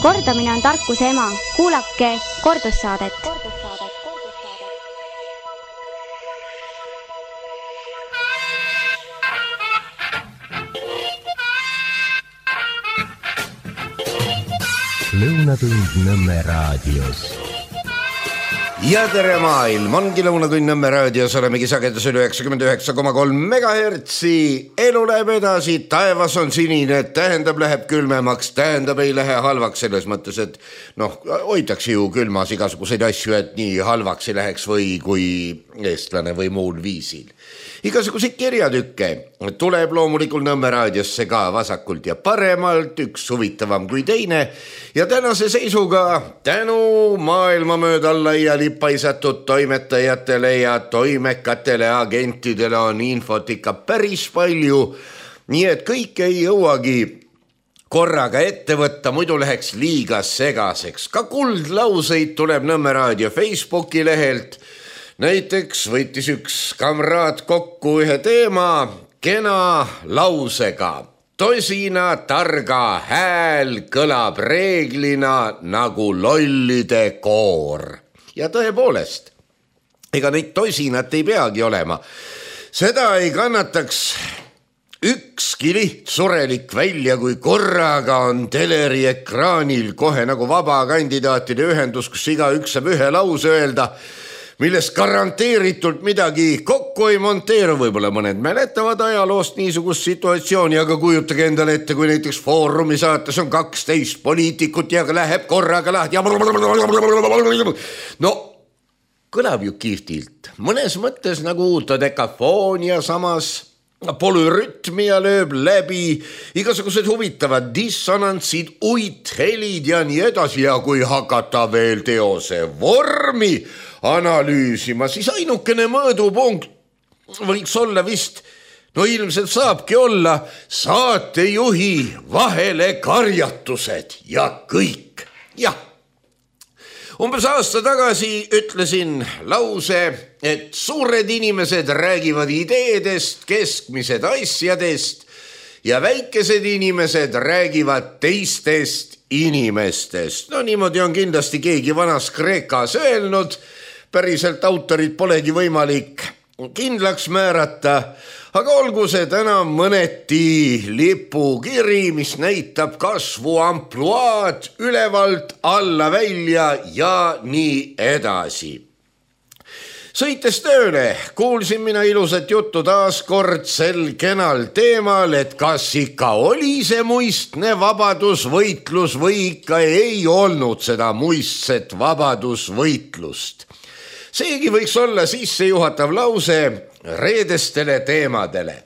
Kordamine on tarkuse ema. Kuulake kordussaadet. Lõunatund Nõmme raadios. Ja tere maailm, ongi Lõunatund Nõmme raadios, olemegi sagedusel 99,3 megahertsi. Elu läheb edasi, taevas on sinine, tähendab läheb külmemaks, tähendab ei lähe halvaks selles mõttes, et hoitakse ju külmas igasuguseid asju, et nii halvaks ei läheks või kui eestlane või muul viisil. Igasuguseid kirjatükke tuleb loomulikult Nõmme raadiosse ka vasakult ja paremalt, üks huvitavam kui teine. Ja tänase seisuga tänu maailma mööda laiali paisatud toimetajatele ja toimekatele agentidele on infot ikka päris palju. Nii et kõik ei jõuagi korraga ette võtta, muidu läheks liiga segaseks. Ka kuldlauseid tuleb Nõmme raadio Facebooki lehelt. Näiteks võttis üks kamraad kokku ühe teema kena lausega. Tosina targa hääl kõlab reeglina nagu lollide koor. Ja tõepoolest, ega neid tosinat ei peagi olema. Seda ei kannataks ükski lihtsurelik välja, kui korraga on teleri ekraanil kohe nagu vaba kandidaatide ühendus, kus igaüks saab ühe lause öelda, millest garanteeritult midagi kokku ei monteeru. Võib-olla mõned mäletavad ajaloost niisugust situatsiooni, aga kujutage endale ette, kui näiteks Foorumi saates on 12 poliitikut ja läheb korraga lahti. No, kõlab ju kihvtilt. Mõnes mõttes nagu dodekafoonia, samas polürütmia lööb läbi, igasugused huvitavad dissonantsid, uithelid ja nii edasi. Ja kui hakata veel teose vormi analüüsima, siis ainukene mõõdupunkt võiks olla vist, ilmselt saabki olla saatejuhi vahele karjatused ja kõik. Jah, umbes aasta tagasi ütlesin lause, et suured inimesed räägivad ideedest, keskmised asjadest ja väikesed inimesed räägivad teistest inimestest. Niimoodi on kindlasti keegi vanas Kreekas öelnud. Päriselt autorid polegi võimalik kindlaks määrata, aga olgu see täna mõneti lipukiri, mis näitab kasvu ampluaad ülevalt alla välja ja nii edasi. Sõites tööle kuulsin mina ilusat juttu taas kord sel kenal teemal, et kas ikka oli see muistne vabadusvõitlus või ikka ei olnud seda muistset vabadusvõitlust. Seegi võiks olla sissejuhatav lause reedestele teemadele.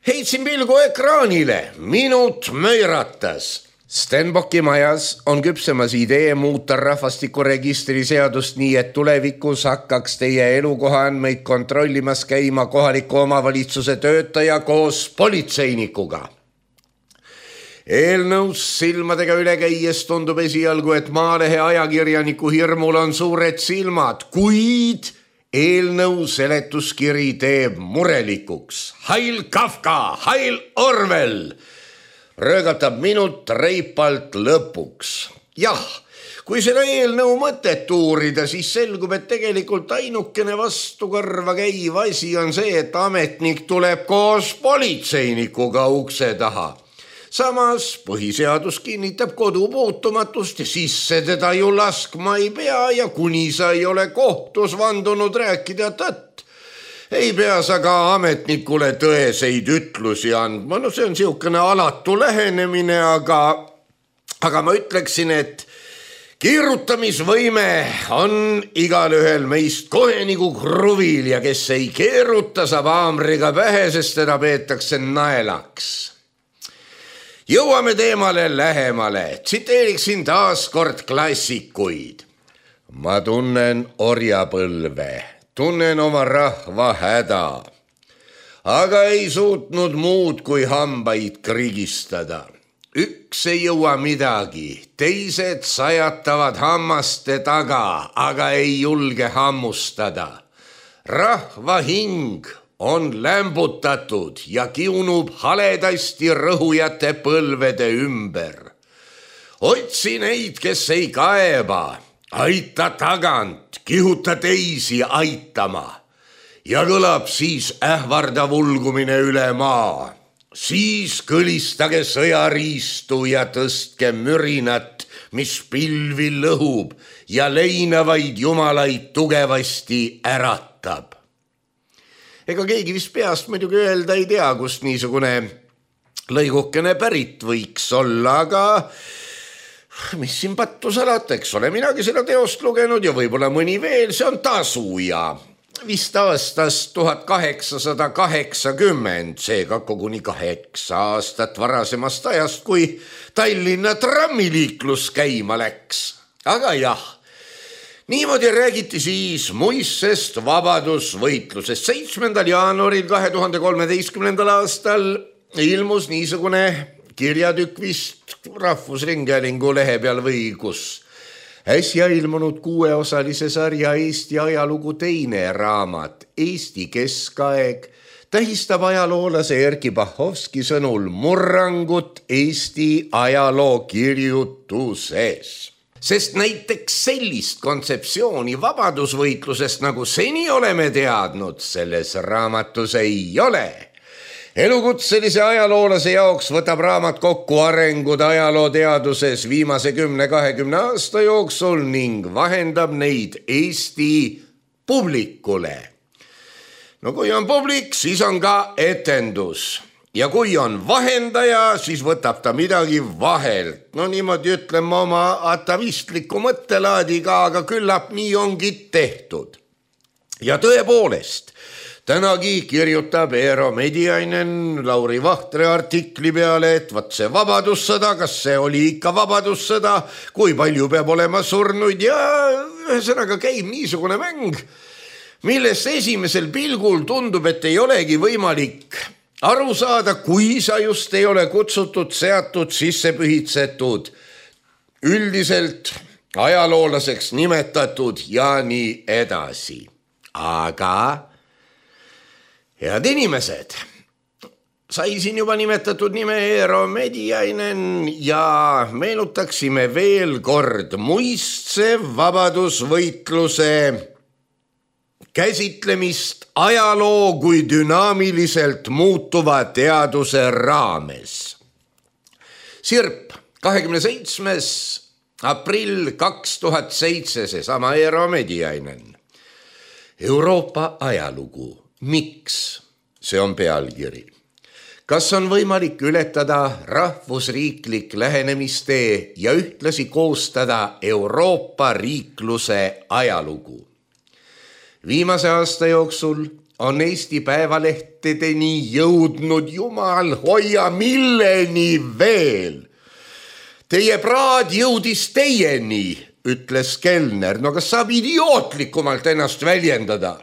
Heitsin pilgu ekraanile, minut möiratas. Stenbocki majas on küpsemas idee muuta rahvastikuregistri seadust nii, et tulevikus hakkaks teie elukoha andmeid kontrollimas käima kohaliku omavalitsuse töötaja koos politseinikuga. Eelnõus silmadega üle käies tundub esialgu, et Maalehe ajakirjaniku hirmul on suured silmad, kuid eelnõu seletuskiri teeb murelikuks. Heil Kafka, heil Orwell! Röögatab minut reipalt lõpuks. Jah, kui seda eelnõu mõtet uurida, siis selgub, et tegelikult ainukene vastukarva käiv asi on see, et ametnik tuleb koos politseinikuga ukse taha. Samas põhiseadus kinnitab kodupuutumatust ja sisse teda ju laskma ei pea ja kuni sa ei ole kohtus vandunud rääkida tõtt. Ei pea sa ka ametnikule tõeseid ütlusi andma. See on siukene alatu lähenemine, aga ma ütleksin, et keerutamisvõime on igal ühel meist kohe nagu kruvil ja kes ei keeruta, saab haamriga pähe, sest teda peetakse naelaks. Jõuame teemale lähemale. Tsiteeriksin taas kord klassikuid. Ma tunnen orjapõlve, tunnen oma rahva häda, aga ei suutnud muud kui hambaid krigistada. Üks ei jõua midagi, teised sajatavad hammaste taga, aga ei julge hammustada. Rahva hing on lämbutatud ja kiunub haledasti rõhujate põlvede ümber. otsi neid, kes ei kaeba, aita tagant, kihuta teisi aitama ja kõlab siis ähvardav ulgumine üle maa. Siis kõlistage sõjariistu ja tõstke mürinat, mis pilvi lõhub ja leinavaid jumalaid tugevasti äratab. Ega keegi vist peast muidugi öelda ei tea, kust niisugune lõigukene pärit võiks olla, aga mis siin pattu salata, eks ole, minagi seda teost lugenud ja võib-olla mõni veel, see on Tasuja. Vist aastast 1880, seega koguni 8 aastat varasemast ajast, kui Tallinna trammiliiklus käima läks. Aga jah, niimoodi räägiti siis muissest vabadusvõitlusest. 7. jaanuaril 2013. aastal ilmus niisugune kirjatükk vist Rahvusringhäälingu lehe peal või kus. Äsja ilmunud 6-osalise sarja Eesti ajalugu teine raamat Eesti keskaeg tähistab ajaloolase Erki Bahovski sõnul murrangut Eesti ajaloo kirjutuses. Sest näiteks sellist kontseptsiooni vabadusvõitlusest, nagu seni oleme teadnud, selles raamatus ei ole. Elukutselise ajaloolase jaoks võtab raamat kokku arengud ajalooteaduses viimase 10-20 aasta jooksul ning vahendab neid Eesti publikule. No kui on publik, siis on ka etendus. Ja kui on vahendaja, siis võtab ta midagi vahelt. No niimoodi ütleme oma atavistliku mõttelaadiga, aga küllap nii ongi tehtud. Ja tõepoolest, tänagi kirjutab Eero Mediainen Lauri Vahtre artikli peale, et vaat see vabadussõda, kas see oli ikka vabadussõda, kui palju peab olema surnuid ja ühesõnaga käib niisugune mäng, millest esimesel pilgul tundub, et ei olegi võimalik aru saada, kui sa just ei ole kutsutud, seatud, sisse pühitsetud, üldiselt ajaloolaseks nimetatud ja nii edasi. Aga head inimesed, sai siin juba nimetatud nime Eero Mediainen ja meenutaksime veel kord muistse vabadusvõitluse käsitlemist ajaloo kui dünaamiliselt muutuva teaduse raames. Sirp, 27. aprill 2007, seesama Eero Mediainen. Euroopa ajalugu. Miks? See on pealkiri. Kas on võimalik ületada rahvusriiklik lähenemistee ja ühtlasi koostada Euroopa riikluse ajalugu? Viimase aasta jooksul on Eesti päevalehtedeni jõudnud, jumal hoia, milleni veel. Teie praad jõudis teieni, ütles kelner. No kas saab idiootlikumalt ennast väljendada?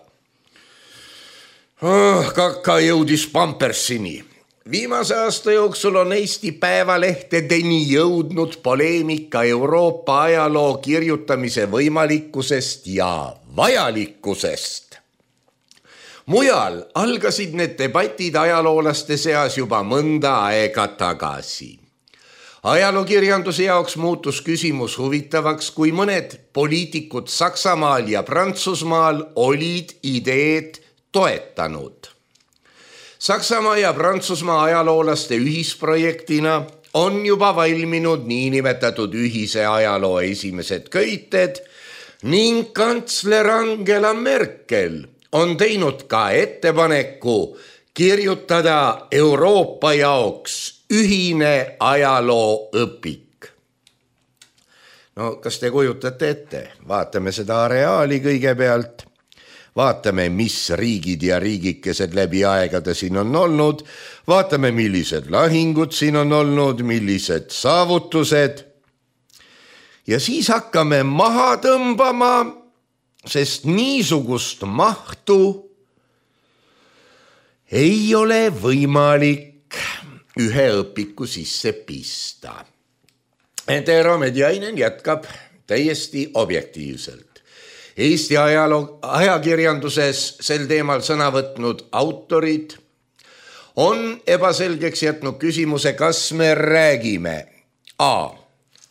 Kaka jõudis Pampersini. Viimase aasta jooksul on Eesti päevalehtedeni jõudnud poleemika Euroopa ajaloo kirjutamise võimalikkusest ja vajalikkusest. Mujal algasid need debatid ajaloolaste seas juba mõnda aega tagasi. Ajalookirjanduse jaoks muutus küsimus huvitavaks, kui mõned poliitikud Saksamaal ja Prantsusmaal olid ideed toetanud. Saksamaa ja Prantsusmaa ajaloolaste ühisprojektina on juba valminud niinimetatud ühise ajaloo esimesed köited ning kantsler Angela Merkel on teinud ka ettepaneku kirjutada Euroopa jaoks ühine ajalooõpik. No kas te kujutate ette? Vaatame seda areaali kõigepealt. Vaatame, mis riigid ja riigikesed läbi aegade siin on olnud. Vaatame, millised lahingud siin on olnud, millised saavutused. Ja siis hakkame maha tõmbama, sest niisugust mahtu ei ole võimalik ühe õpiku sisse pista. Eero Mediainen jätkab täiesti objektiivselt. Eesti ajakirjanduses sel teemal sõna võtnud autorid on ebaselgeks jätnud küsimuse, kas me räägime A.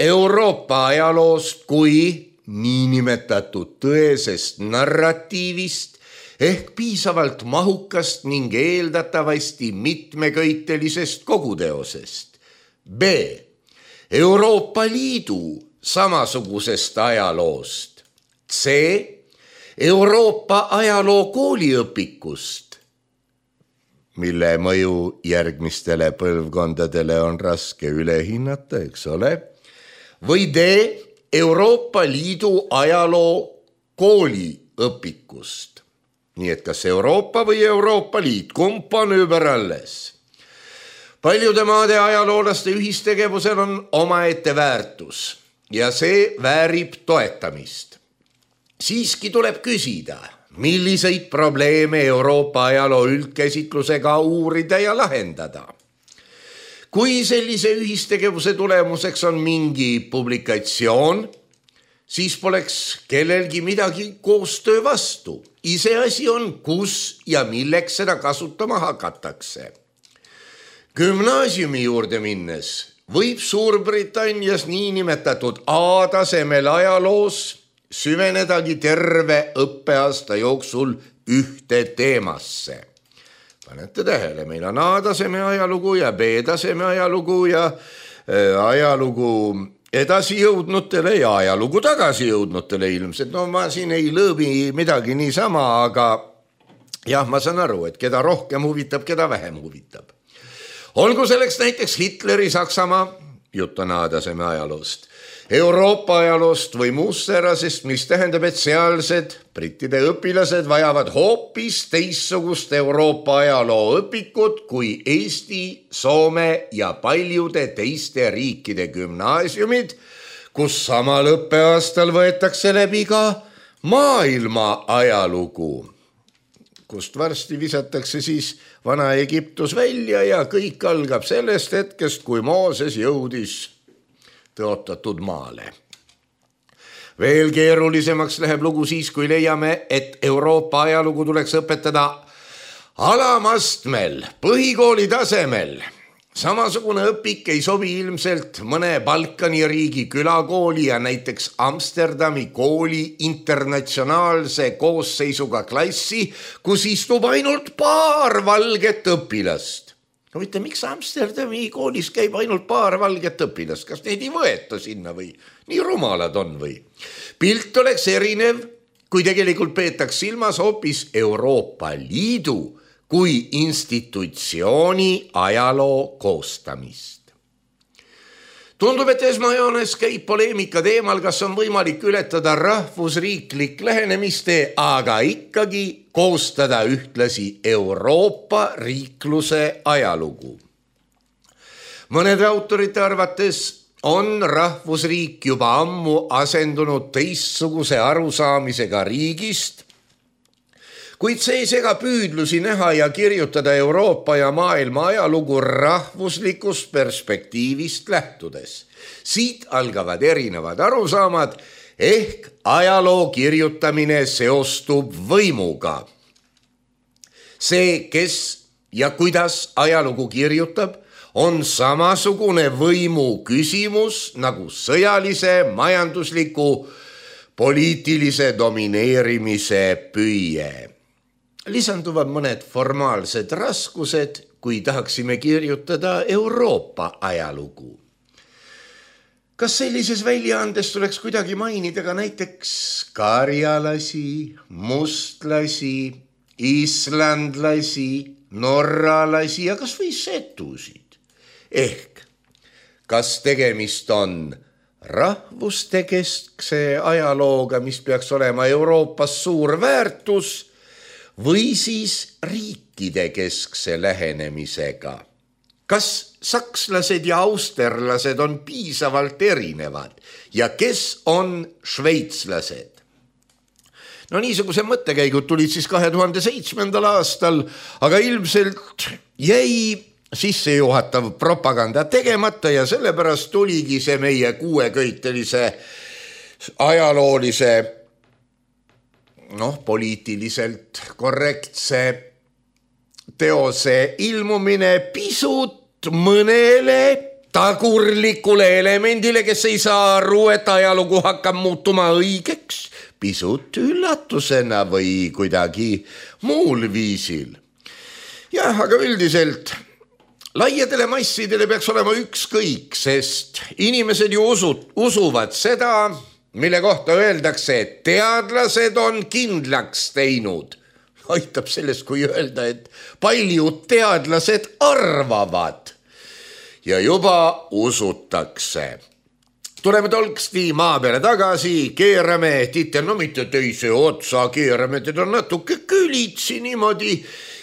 Euroopa ajaloost kui niinimetatud tõesest narratiivist ehk piisavalt mahukast ning eeldatavasti mitmeköitelisest koguteosest. B. Euroopa Liidu samasugusest ajaloost. C. Euroopa ajaloo kooliõpikust, mille mõju järgmistele põlvkondadele on raske üle hinnata, eks ole. Või D. Euroopa Liidu ajaloo kooliõpikust. Nii et kas Euroopa või Euroopa Liit, kumb on überalles? Paljude maade ajaloolaste ühistegevusel on omaette väärtus ja see väärib toetamist. Siiski tuleb küsida, milliseid probleeme Euroopa ajaloo üldkäsitlusega uurida ja lahendada. Kui sellise ühistegevuse tulemuseks on mingi publikatsioon, siis poleks kellelgi midagi koostöö vastu. Iseasi on, kus ja milleks seda kasutama hakatakse. Gümnaasiumi juurde minnes võib Suurbritannias niinimetatud A-tasemel ajaloos süvenedagi terve õppeaasta jooksul ühte teemasse. Panete tähele, meil on A-taseme ajalugu ja B-taseme ajalugu ja ajalugu edasi jõudnutele ja ajalugu tagasi jõudnutele ilmselt. No ma siin ei lõõbi midagi niisama, aga jah, ma saan aru, et keda rohkem huvitab, keda vähem huvitab. Olgu selleks näiteks Hitleri Saksamaa, jutt on A-taseme ajaloost, Euroopa ajaloost või muust säärasest, mis tähendab, et sealsed brittide õpilased vajavad hoopis teissugust Euroopa ajaloo õpikut kui Eesti, Soome ja paljude teiste riikide gümnaasiumid, kus samal õppeaastal võetakse läbi ka maailma ajalugu, kust varsti visatakse siis Vana-Egiptus välja ja kõik algab sellest hetkest, kui Mooses jõudis tõotatud maale. Veel keerulisemaks läheb lugu siis, kui leiame, et Euroopa ajalugu tuleks õpetada alamastmel, põhikooli tasemel. Samasugune õpik ei sobi ilmselt mõne Balkani riigi külakooli ja näiteks Amsterdami kooli internatsionaalse koosseisuga klassi, kus istub ainult paar valget õpilast. No mitte, miks Amsterdami koolis käib ainult paar valget õpilast? Kas neid ei võeta sinna või? Nii rumalad on või? Pilt oleks erinev, kui tegelikult peetaks silmas hoopis Euroopa Liidu kui institutsiooni ajaloo koostamist. Tundub, et esmajoones käib poleemika teemal, kas on võimalik ületada rahvusriiklik lähenemiste, aga ikkagi koostada ühtlasi Euroopa riikluse ajalugu. Mõnede autorite arvates on rahvusriik juba ammu asendunud teistsuguse arusaamisega riigist, kuid see ei sega püüdlusi näha ja kirjutada Euroopa ja maailma ajalugu rahvuslikust perspektiivist lähtudes. Siit algavad erinevad arusaamad ehk ajaloo kirjutamine seostub võimuga. See, kes ja kuidas ajalugu kirjutab, on samasugune võimu küsimus nagu sõjalise, majandusliku, poliitilise domineerimise püüe. Lisanduvad mõned formaalsed raskused, kui tahaksime kirjutada Euroopa ajalugu. Kas sellises väljaandes tuleks kuidagi mainida ka näiteks karjalasi, mustlasi, islandlasi, norralasi ja kas või setusid? Ehk, kas tegemist on rahvuste keskse ajalooga, mis peaks olema Euroopas suur väärtus, või siis riikide keskse lähenemisega. Kas sakslased ja austerlased on piisavalt erinevad ja kes on šveitslased? No niisuguse mõttekäigud tulid siis 2007. aastal, aga ilmselt jäi sissejuhatav propaganda tegemata ja sellepärast tuligi see meie kuueköitelise ajaloolise poliitiliselt korrektse teose ilmumine pisut mõnele tagurlikule elemendile, kes ei saa aru, et ajalugu hakkab muutuma õigeks, pisut üllatusena või kuidagi muul viisil. Jah, aga üldiselt laiadele massidele peaks olema ükskõik, sest inimesed ju usuvad seda, mille kohta öeldakse, et teadlased on kindlaks teinud. Aitab sellest, kui öelda, et paljud teadlased arvavad ja juba usutakse. Tuleme tolksti maa peale tagasi, keerame titel, no mitte teise otsa, keerame teda natuke külitsi niimoodi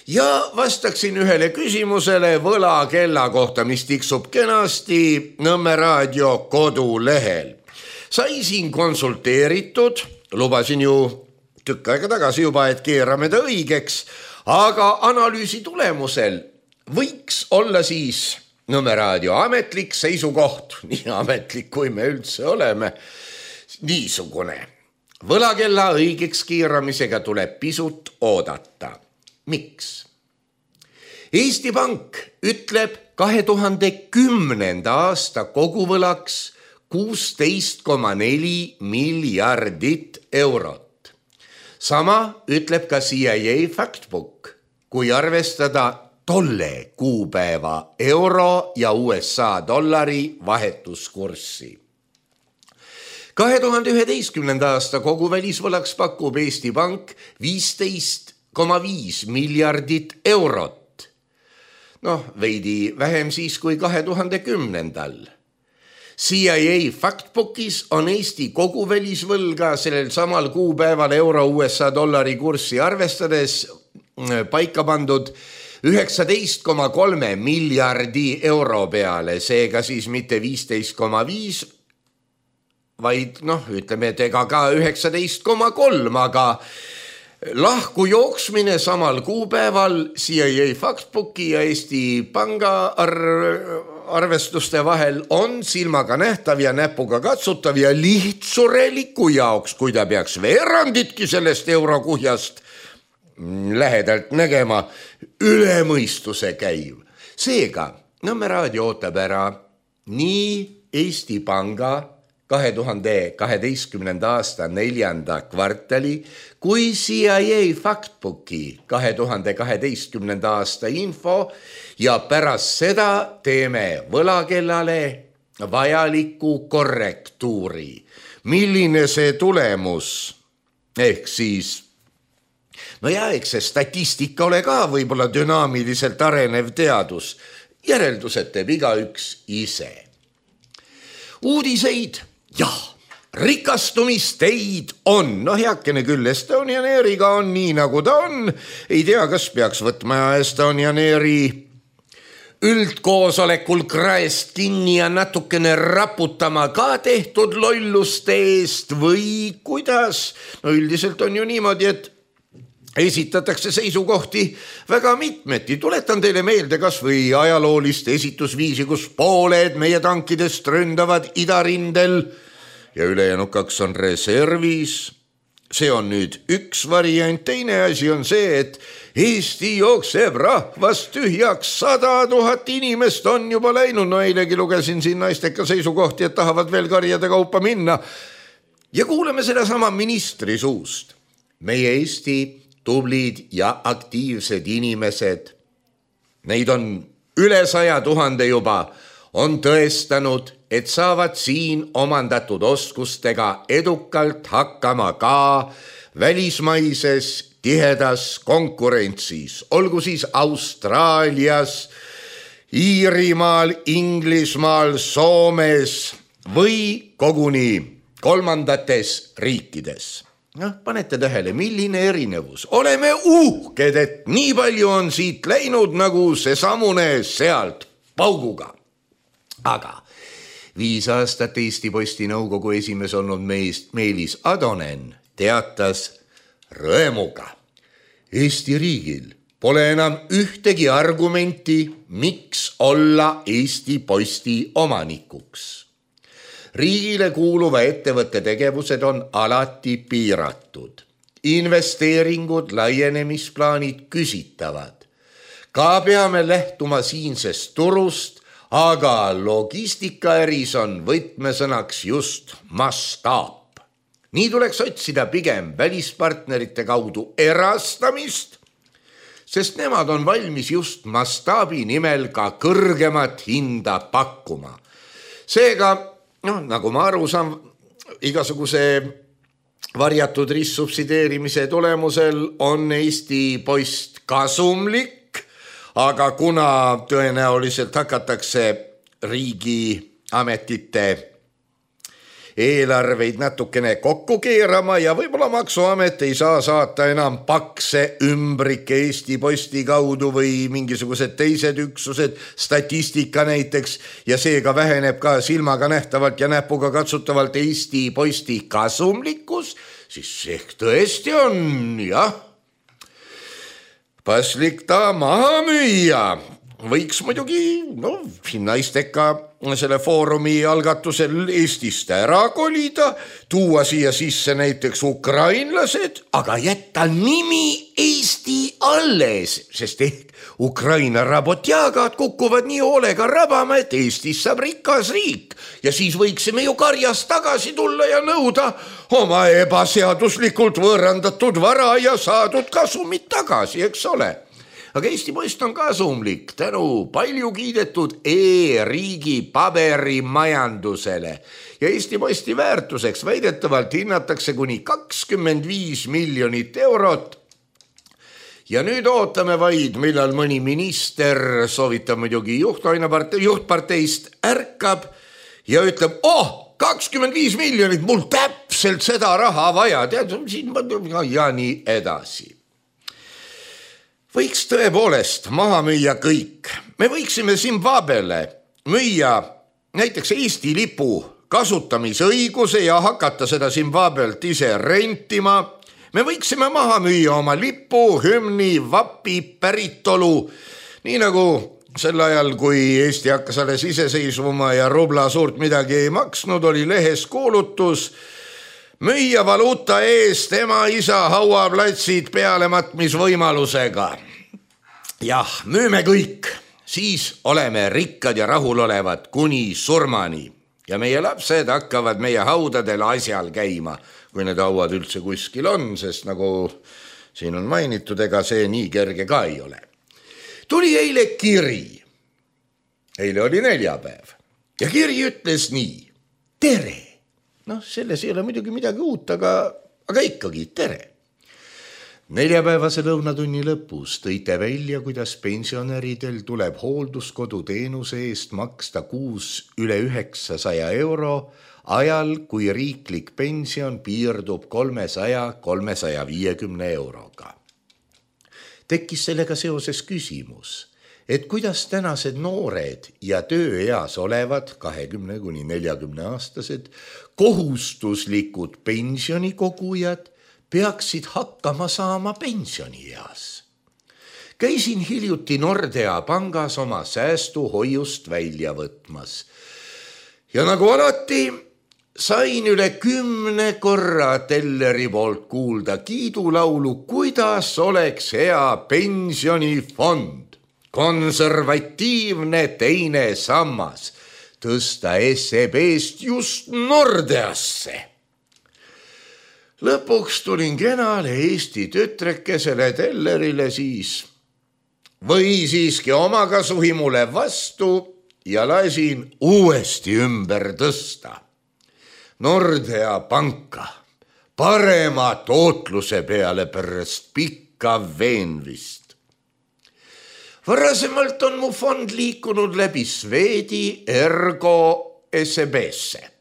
ja vastaksin ühele küsimusele võlakella kohta, mis tiksub kenasti Nõmme raadio kodulehel. Sai siin konsulteeritud, lubasin ju tükk aega tagasi juba, et keerame ta õigeks, aga analüüsi tulemusel võiks olla siis Nõmme raadio ametlik seisukoht, nii ametlik kui me üldse oleme, niisugune. Võlakella õigeks keeramisega tuleb pisut oodata. Miks? Eesti Pank ütleb 2010. aasta koguvõlaks 16,4 miljardit eurot. Sama ütleb ka CIA Factbook, kui arvestada tolle kuupäeva euro ja USA dollari vahetuskurssi. 2011. aasta koguvälisvõlaks pakub Eesti Pank 15,5 miljardit eurot. Veidi vähem siis kui 2010. CIA Factbookis on Eesti koguvälisvõlga sellel samal kuupäeval euro USA dollari kurssi arvestades paika pandud 19,3 miljardi euro peale, seega siis mitte 15,5, vaid ütleme, et ega ka 19,3, aga lahku jooksmine samal kuupäeval CIA Factbooki ja Eesti Panga arvestuste vahel on silmaga nähtav ja näpuga katsutav ja lihtsureliku jaoks, kui ta peaks veeranditki sellest eurokuhjast lähedalt nägema, üle mõistuse käiv. Seega, Nõmme raadio ootab ära nii Eesti Panga 2012. aasta 4. kvartali kui CIA Factbooki 2012. aasta info ja pärast seda teeme võlakellale vajaliku korrektuuri. Milline see tulemus ehk siis eks see statistika ole ka võib-olla dünaamiliselt arenev teadus. Järeldused teeb igaüks ise. Uudiseid, rikastumisteid on. Heakene küll, Estonian Airiga on nii, nagu ta on. Ei tea, kas peaks võtma Estonian Airi üldkoosolekul kraest kinni ja natukene raputama ka tehtud lolluste eest või kuidas. Üldiselt on ju niimoodi, et esitatakse seisukohti väga mitmeti. Tuletan teile meelde kas või ajaloolist esitusviisi, kus pooled meie tankidest ründavad idarindel ja ülejäänud 2 on reservis. See on nüüd üks variant. Teine asi on see, et Eesti jookseb rahvast tühjaks, 100 000 inimest on juba läinud. Eilegi lugesin siin naisteka seisukohti, et tahavad veel karjade kaupa minna. Ja kuuleme seda sama ministri suust. Meie Eesti tublid ja aktiivsed inimesed, neid on üle 100 000 juba, on tõestanud, et saavad siin omandatud oskustega edukalt hakkama ka välismaises tihedas konkurentsis, olgu siis Austraalias, Iirimaal, Inglismaal, Soomes või koguni kolmandates riikides. Panete tähele, milline erinevus. Oleme uhked, et nii palju on siit läinud nagu see samune sealt pauguga. Aga 5 aastat Eesti Posti nõukogu esimees olnud Meelis Atonen teatas rõemuga. Eesti riigil pole enam ühtegi argumenti, miks olla Eesti Posti omanikuks. Riigile kuuluva ettevõtte tegevused on alati piiratud. Investeeringud, laienemisplaanid küsitavad. Ka peame lähtuma siinsest turust, aga logistikaäris on võtmesõnaks just mastaap. Nii tuleks otsida pigem välispartnerite kaudu erastamist, sest nemad on valmis just mastaabi nimel ka kõrgemat hinda pakkuma. Seega, nagu ma aru saan, igasuguse varjatud ristsubsideerimise tulemusel on Eesti Post kasumlik, aga kuna tõenäoliselt hakatakse riigiametite eelarveid natukene kokku keerama ja võib-olla maksuamet ei saa saata enam pakse ümbrik Eesti Posti kaudu või mingisugused teised üksused, statistika näiteks, ja seega väheneb ka silmaga nähtavalt ja näpuga katsutavalt Eesti Posti kasumlikkus, siis ehk tõesti on, paslik ta maha müüa. Võiks muidugi, naisteka selle foorumi algatusel Eestist ära kolida, tuua siia sisse näiteks ukrainlased, aga jätta nimi Eesti alles, sest ehk Ukraina rabotjagad kukuvad nii hoolega rabama, et Eestis saab rikas riik ja siis võiksime ju karjast tagasi tulla ja nõuda oma ebaseaduslikult võõrandatud vara ja saadud kasumit tagasi, eks ole. Aga Eesti Post on kasumlik tänu palju kiidetud e-riigi paberimajandusele ja Eesti Posti väärtuseks väidetavalt hinnatakse kuni 25 miljonit eurot. Ja nüüd ootame vaid, millal mõni minister, soovitab muidugi juhtparteist, ärkab ja ütleb, 25 miljonit, mul täpselt seda raha vaja, ja nii edasi. Võiks tõepoolest maha müüa kõik. Me võiksime Zimbabwele müüa näiteks Eesti lipu kasutamisõiguse ja hakata seda Zimbabwelt ise rentima. Me võiksime maha müüa oma lipu, hümni, vapi, päritolu, nii nagu sel ajal, kui Eesti hakkas alles iseseisvuma ja rubla suurt midagi ei maksnud, oli lehes kuulutus müüa valuuta eest ema isa hauaplatsid pealematmisvõimalusega. Jah, müüme kõik, siis oleme rikkad ja rahulolevad kuni surmani ja meie lapsed hakkavad meie haudadel asjal käima, kui need hauad üldse kuskil on, sest nagu siin on mainitud, ega see nii kerge ka ei ole. Tuli eile kiri. Eile oli neljapäev ja kiri ütles nii. Tere! Selles ei ole muidugi midagi uut, aga ikkagi tere. Neljapäevase lõunatunni lõpus tõite välja, kuidas pensionäridel tuleb hoolduskodu teenuse eest maksta kuus üle 900 euro ajal, kui riiklik pension piirdub 300-350 euroga. Tekkis sellega seoses küsimus, et kuidas tänased noored ja tööeas olevad 20–40 aastased kohustuslikud pensionikogujad peaksid hakkama saama pensionieas. Käisin hiljuti Nordea pangas oma säästuhoiust välja võtmas. Ja nagu alati sain üle 10 korra telleri poolt kuulda kiidulaulu, kuidas oleks hea pensionifond, konservatiivne teine sammas, tõsta SEB-st just Nordeasse. Lõpuks tulin kenale Eesti tütrekesele tellerile siis või siiski omakasuhimule vastu ja lasin uuesti ümber tõsta. Nordea panka parema tootluse peale pärast pikka veenvist. Varasemalt on mu fond liikunud läbi Swedi Ergo SEB-sse.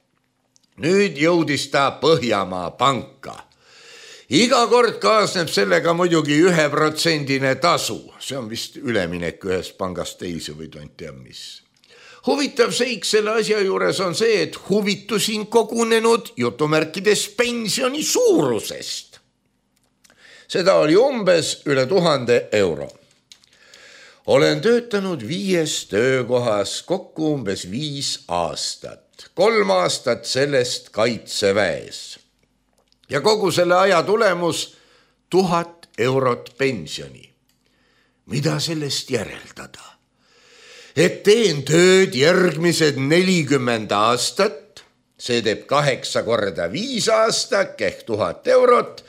Nüüd jõudis ta Põhjamaa panka. Iga kord kaasneb sellega muidugi 1% tasu. See on vist üleminek ühest pangast teise või tont tea mis. Huvitav seik selle asja juures on see, et huvitusin kogunenud jutumärkides pensioni suurusest. Seda oli umbes üle 1000 euro. Olen töötanud 5 töökohas kokku umbes 5 aastat. 3 aastat sellest kaitseväes. Ja kogu selle aja tulemus 1000 eurot pensioni. Mida sellest järeldada? et teen tööd järgmised 40 aastat, see teeb 8 korda 5 aastak ehk 1000 eurot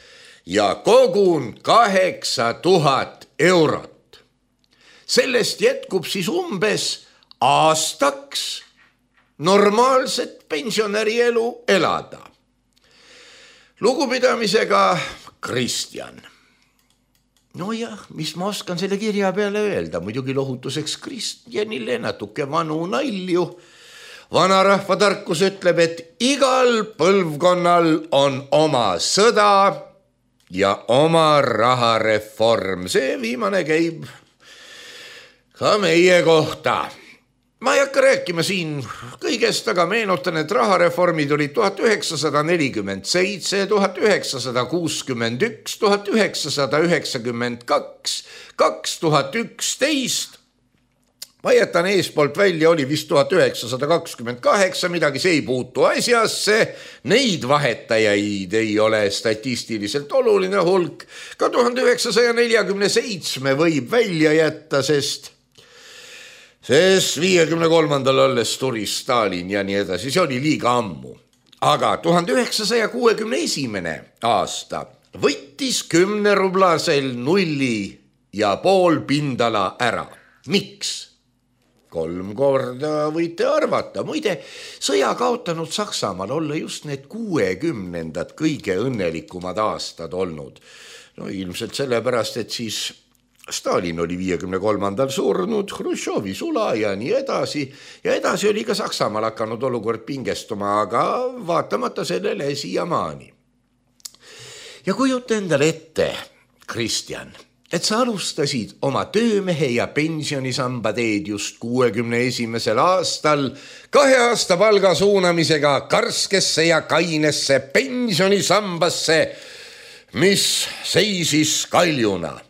ja kogun 8000 eurot. Sellest jätkub siis umbes aastaks normaalset pensionärielu elada. Lugupidamisega Kristjan. Nojah, mis ma oskan selle kirja peale öelda, muidugi lohutuseks Kristjanile natuke vanu nalju. Vanarahva tarkus ütleb, et igal põlvkonnal on oma sõda ja oma rahareform. See viimane käib ka meie kohta. Ma ei hakka rääkima siin kõigest, aga meenutan, et rahareformid olid 1947, 1961, 1992, 2011. Ma jätan eespoolt välja, oli vist 1928 midagi, see ei puutu asjasse. Neid vahetajaid ei ole statistiliselt oluline hulk. Ka 1947 võib välja jätta, sest 53. olles tuli Stalin ja nii edasi, see oli liiga ammu. Aga 1961. aasta võttis 10 rublasel 0,5 pindala ära. Miks? 3 korda võite arvata. Muide, sõja kaotanud Saksamaal olla just need 60-ndad kõige õnnelikumad aastad olnud. No ilmselt sellepärast, et siis Stalin oli 53. surnud, Hruštšovi sula ja nii edasi. Ja edasi oli ka Saksamaal hakanud olukord pingestuma, aga vaatamata sellele siiamaani. Ja kujuta endale ette, Kristjan, et sa alustasid oma töömehe ja pensionisamba teed just 61. aastal 2 aasta palga suunamisega karskesse ja kainesse pensionisambasse, mis seisis kaljuna.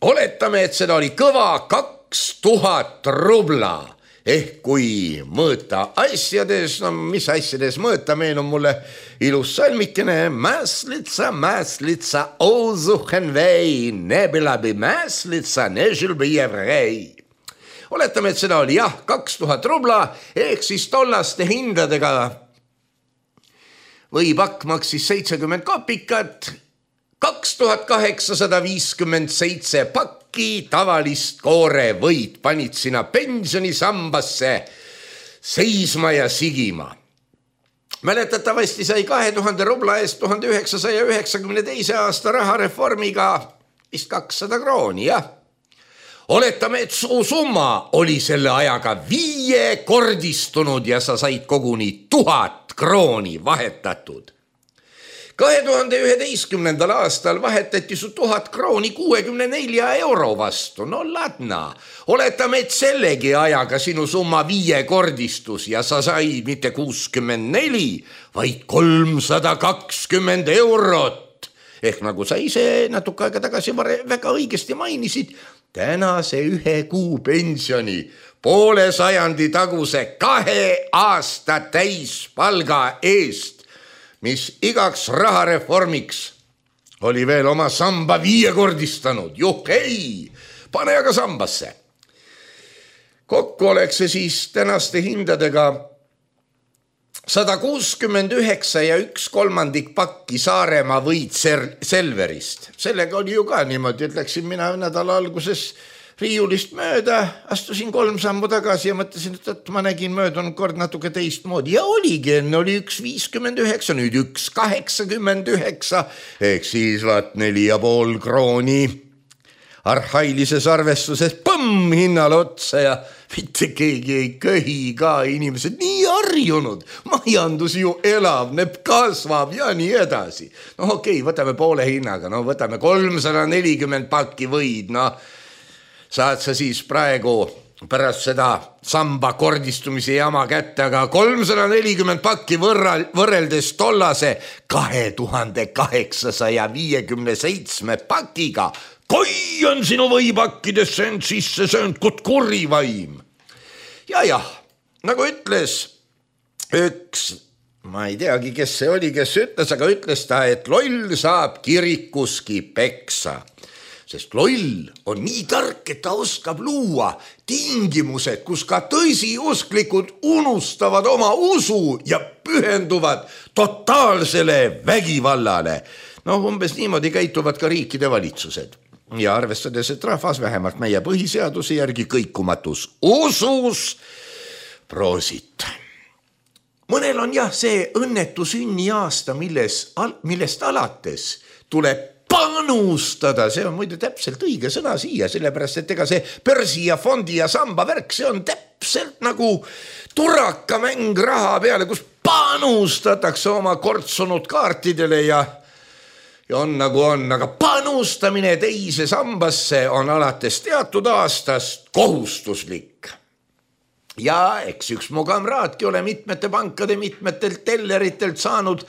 Oletame, et seda oli kõva 2000 rubla, ehk kui mõõta asjades, no mis asjades mõõta, meenub mulle ilus salmikene. Mäslitsa, mäslitsa, ozuhen vei, nebilabi mäslitsa, nežilbi jevrei. Oletame, et seda oli 2000 rubla, ehk siis tollaste hindadega või pakk maksis 70 kopikat, 2857 pakki tavalist koorevõid panid sina pensionisambasse seisma ja sigima. Mäletatavasti sai 2000 rubla eest 1992. aasta rahareformiga vist 200 krooni, jah. Oletame, et su summa oli selle ajaga 5-kordistunud ja sa said koguni 1000 krooni vahetatud. 2011. aastal vahetati su 1000 krooni 64 euro vastu. No ladna, oletame, et sellegi ajaga sinu summa 5-kordistus ja sa said mitte 64, vaid 320 eurot. Ehk nagu sa ise natuke aega tagasi väga õigesti mainisid, tänase 1 kuu pensioni poole sajandi taguse 2 aasta täispalga eest, mis igaks rahareformiks oli veel oma samba 5-kordistanud. Juhhei, pane aga sambasse. Kokku oleks see siis tänaste hindadega 169 ja 1/3 pakki Saaremaa võid Selverist. Sellega oli ju ka niimoodi, et läksin mina nädala alguses riiulist mööda, astusin 3 sammu tagasi ja mõtlesin, et ma nägin möödunud kord natuke teistmoodi. Ja oligi, enne oli 1,59, nüüd 1,89, ehk siis 4,5 krooni. Arhailises arvestuses põmm hinnale otsa ja mitte keegi ei köhi ka, inimesed nii harjunud. Majandus ju elavneb, kasvab ja nii edasi. No okei, võtame poole hinnaga, no võtame 340 pakki võid, no saad sa siis praegu pärast seda samba kordistumise jama kätte, aga 340 pakki võrreldes tollase 2857 pakiga. Koi on sinu võipakkidesse end sisse söönud kut kurivaim. Ja, nagu ütles üks, ma ei teagi, kes see oli, kes ütles, aga ütles ta, et loll saab kirikuski peksa. sest loll on nii tark, et ta oskab luua tingimused, kus ka tõsiusklikud unustavad oma usu ja pühenduvad totaalsele vägivallale. Umbes niimoodi käituvad ka riikide valitsused. Ja arvestades, et rahvas vähemalt meie põhiseaduse järgi kõikumatus usus, proosit. Mõnel on see õnnetu sünniaasta, millest alates tuleb panustada, see on muide täpselt õige sõna siia, sellepärast, et ega see börsi ja fondi ja samba värk, see on täpselt nagu turakamäng raha peale, kus panustatakse oma kortsunud kaartidele ja on nagu on, aga panustamine teise sambasse on alates teatud aastast kohustuslik. Ja eks üks mu kamraadki ole mitmete pankade, mitmetelt telleritelt saanud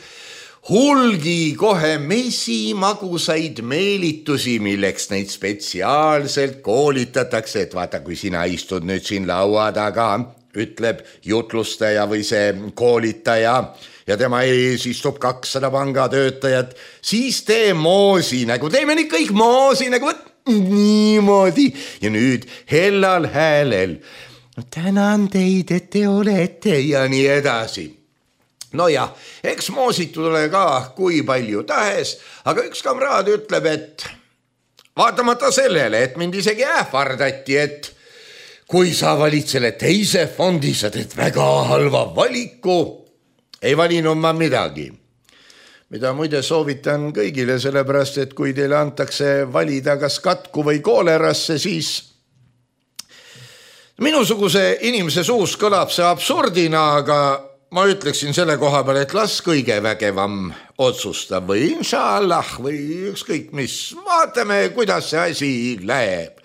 hulgi kohe mesimagusaid meelitusi, milleks neid spetsiaalselt koolitatakse, et vaata, kui sina istud nüüd siin laua taga, ütleb jutlustaja või see koolitaja ja tema ees istub 200 pangatöötajat, siis tee moosi nägu, teeme nüüd kõik moosi nägu, niimoodi ja nüüd hellal häälel. Tänan teid, et te olete ja nii edasi. No ja, eks moositud ole ka kui palju tahes, aga üks kamraad ütleb, et vaatamata sellele, et mind isegi ähvardati, et kui sa valid selle teise fondi, sa teed väga halva valiku, ei valinud ma midagi. Mida muide soovitan kõigile, sellepärast, et kui teile antakse valida kas katku või koolerasse, siis minusuguse inimese suus kõlab see absurdina, aga ma ütleksin selle koha peal, et las kõige vägevam otsustab või inshallah või ükskõik mis. Vaatame, kuidas see asi läheb.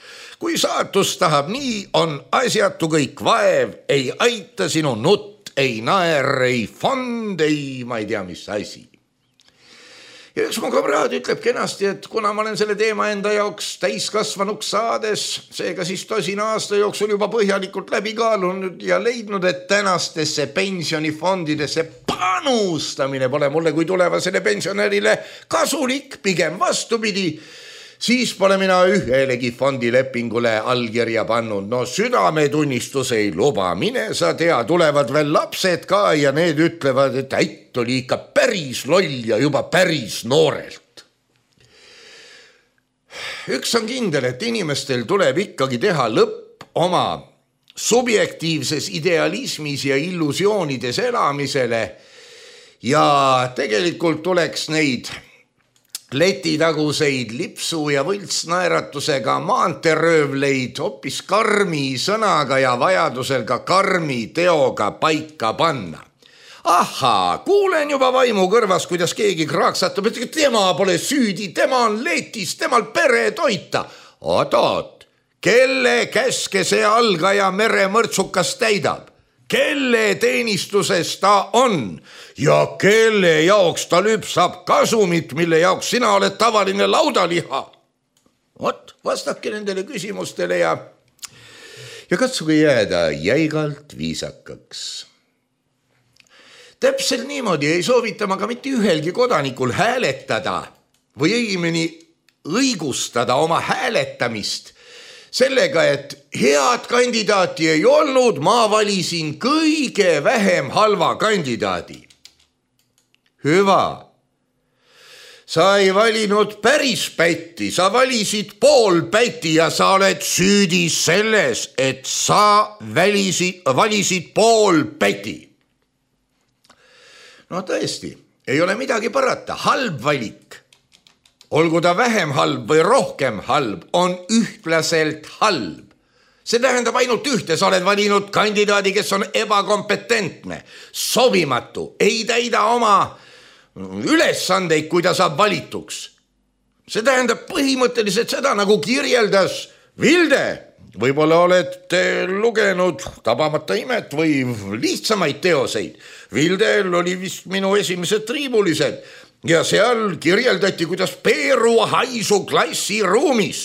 Kui saatus tahab, nii on asjatu kõik vaev, ei aita sinu nutt, ei naer, ei fond, ei ma ei tea, mis asi. Ja üks mu kamraad ütleb kenasti, et kuna ma olen selle teema enda jaoks täiskasvanuks saades, seega siis 10 aasta jooksul juba põhjalikult läbi kaalunud ja leidnud, et tänastesse pensionifondidesse panustamine pole mulle kui tulevasele pensionärile kasulik, pigem vastupidi, siis pole mina ühelegi fondilepingule allkirja pannud. No südametunnistus ei luba, mine sa tea, tulevad veel lapsed ka ja need ütlevad, et ätt oli ikka päris loll ja juba päris noorelt. Üks on kindel, et inimestel tuleb ikkagi teha lõpp oma subjektiivses idealismis ja illusioonides elamisele ja tegelikult tuleks neid letitaguseid lipsu ja võltsnaeratusega maanteröövleid hoopis karmi sõnaga ja vajadusel ka karmi teoga paika panna. Ahaa, kuulen juba vaimu kõrvas, kuidas keegi kraaksatab, et tema pole süüdi, tema on letis, temal pere toita. Oot, kelle käske see algaja meremõrtsukas täidab? Kelle teenistuses ta on ja kelle jaoks ta lüpsab kasumit, mille jaoks sina oled tavaline laudaliha? Vot, vastake nendele küsimustele ja katsuge jääda jäigalt viisakaks. Täpselt niimoodi ei soovita ma ka mitte ühelgi kodanikul hääletada või õigemini õigustada oma hääletamist sellega, et head kandidaati ei olnud, ma valisin kõige vähem halva kandidaadi. Hüva. Sa ei valinud päris pätti, sa valisid pool pätti ja sa oled süüdi selles, et sa valisid pool pätti. No tõesti, ei ole midagi parata, halb valik. Olgu ta vähem halb või rohkem halb, on ühtlaselt halb. See tähendab ainult ühte, sa oled valinud kandidaadi, kes on ebakompetentne, sobimatu, ei täida oma ülesandeid, kui ta saab valituks. See tähendab põhimõtteliselt seda, nagu kirjeldas Vilde. Võib-olla olete lugenud Tabamata imet või lihtsamaid teoseid. Vildel oli vist minu esimesed triibulised. Ja seal kirjeldati, kuidas Peeru haisu klassiruumis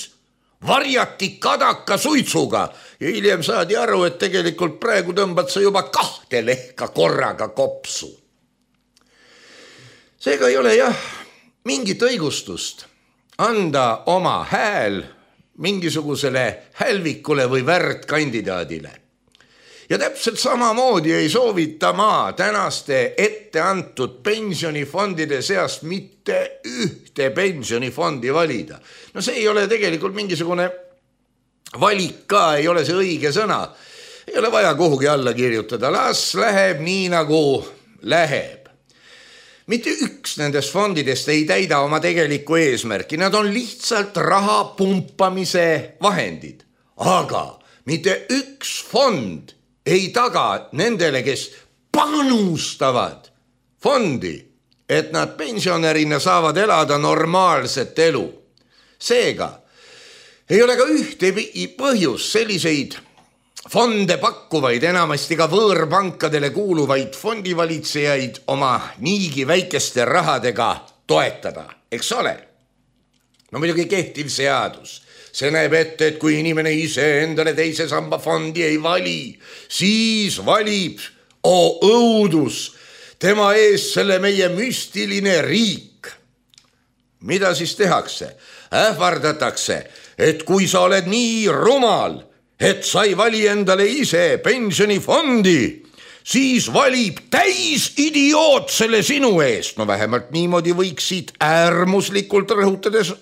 varjati kadaka suitsuga ja hiljem saadi aru, et tegelikult praegu tõmbad sa juba 2 lehka korraga kopsu. Seega ei ole jah mingit õigustust, anda oma hääl mingisugusele hälvikule või värdkandidaadile. Ja täpselt samamoodi ei soovita ma tänaste ette antud pensionifondide seast mitte ühte pensionifondi valida. No see ei ole tegelikult mingisugune valik ka, ei ole see õige sõna. Ei ole vaja kuhugi alla kirjutada, las läheb nii nagu läheb. Mitte üks nendest fondidest ei täida oma tegelikku eesmärki, nad on lihtsalt raha pumpamise vahendid. Aga mitte üks fond ei taga nendele, kes panustavad fondi, et nad pensionärina saavad elada normaalset elu. Seega ei ole ka ühte põhjus selliseid fonde pakkuvaid, enamasti ka võõrpankadele kuuluvaid fondivalitsejaid oma niigi väikeste rahadega toetada, eks ole? No muidugi kehtiv seadus. See näeb ette, et kui inimene ise endale teise samba fondi ei vali, siis valib, õudus, tema ees selle meie müstiline riik. Mida siis tehakse? Ähvardatakse, et kui sa oled nii rumal, et sa ei vali endale ise pensionifondi, siis valib täis idioot selle sinu eest. No vähemalt niimoodi võiksid äärmuslikult rõhutades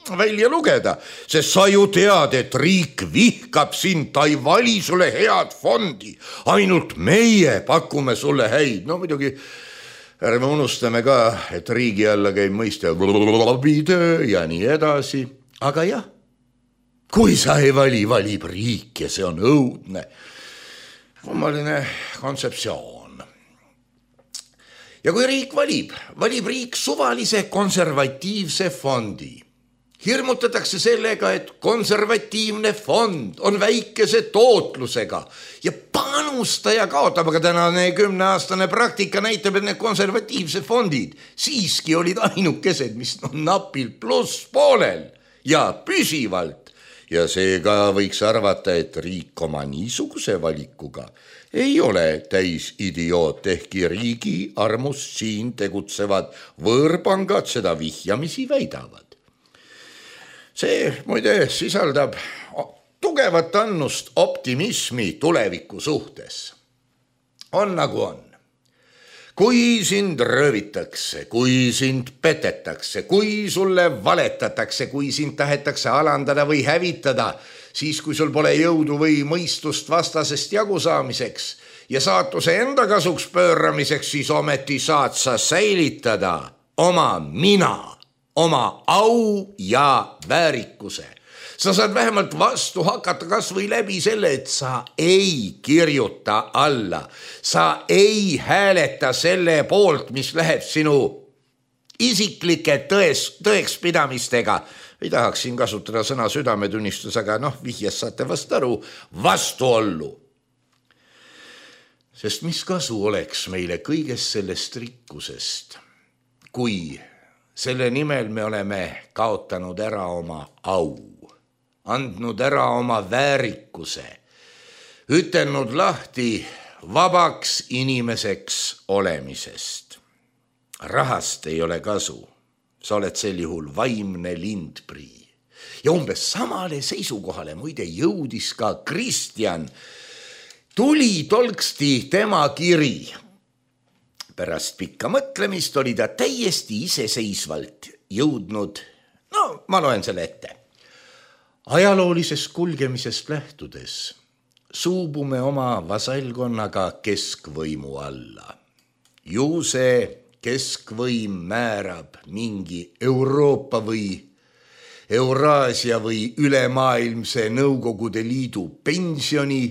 välja lugeda, sest sa ju tead, et riik vihkab sind, ta ei vali sulle head fondi, ainult meie pakume sulle häid. No muidugi ärme unustame ka, et riigi alla käib mõiste töö ja nii edasi, aga jah, kui sa ei vali, valib riik ja see on õudne. Kummaline kontseptsioon. Ja kui riik valib riik suvalise konservatiivse fondi. Hirmutatakse sellega, et konservatiivne fond on väikese tootlusega ja panustaja kaotab, aga tänane 10-aastane praktika näitab, et need konservatiivse fondid siiski olid ainukesed, mis on napilt pluss poolel ja püsivalt. Ja seega võiks arvata, et riik oma niisuguse valikuga ei ole täis idioot, ehkki riigi armust siin tegutsevad võõrpangad seda vihjamisi väidavad. See muide sisaldab tugevat annust optimismi tuleviku suhtes. On nagu on. Kui sind röövitakse, kui sind petetakse, kui sulle valetatakse, kui sind tahetakse alandada või hävitada, siis kui sul pole jõudu või mõistust vastasest jagu saamiseks ja saatuse enda kasuks pööramiseks, siis ometi saad sa säilitada oma mina, oma au ja väärikuse. Sa saad vähemalt vastu hakata kas või läbi selle, et sa ei kirjuta alla. Sa ei hääleta selle poolt, mis läheb sinu isiklike tõekspidamistega. Ei tahaks siin kasutada sõna südametunnistus, aga vihjes saate vast aru, vastuollu. Sest mis kasu oleks meile kõigest sellest rikkusest, kui selle nimel me oleme kaotanud ära oma au, andnud ära oma väärikuse, ütelnud lahti vabaks inimeseks olemisest. Rahast ei ole kasu, sa oled sel juhul vaimne lindprii. Ja umbes samale seisukohale muide jõudis ka Kristjan. Tuli tolksti tema kiri. Pärast pikka mõtlemist oli ta täiesti iseseisvalt jõudnud, ma loen selle ette. Ajaloolisest kulgemisest lähtudes suubume oma vasallkonnaga keskvõimu alla. Ju see keskvõim määrab mingi Euroopa või Euraasia või ülemaailmse Nõukogude Liidu pensioni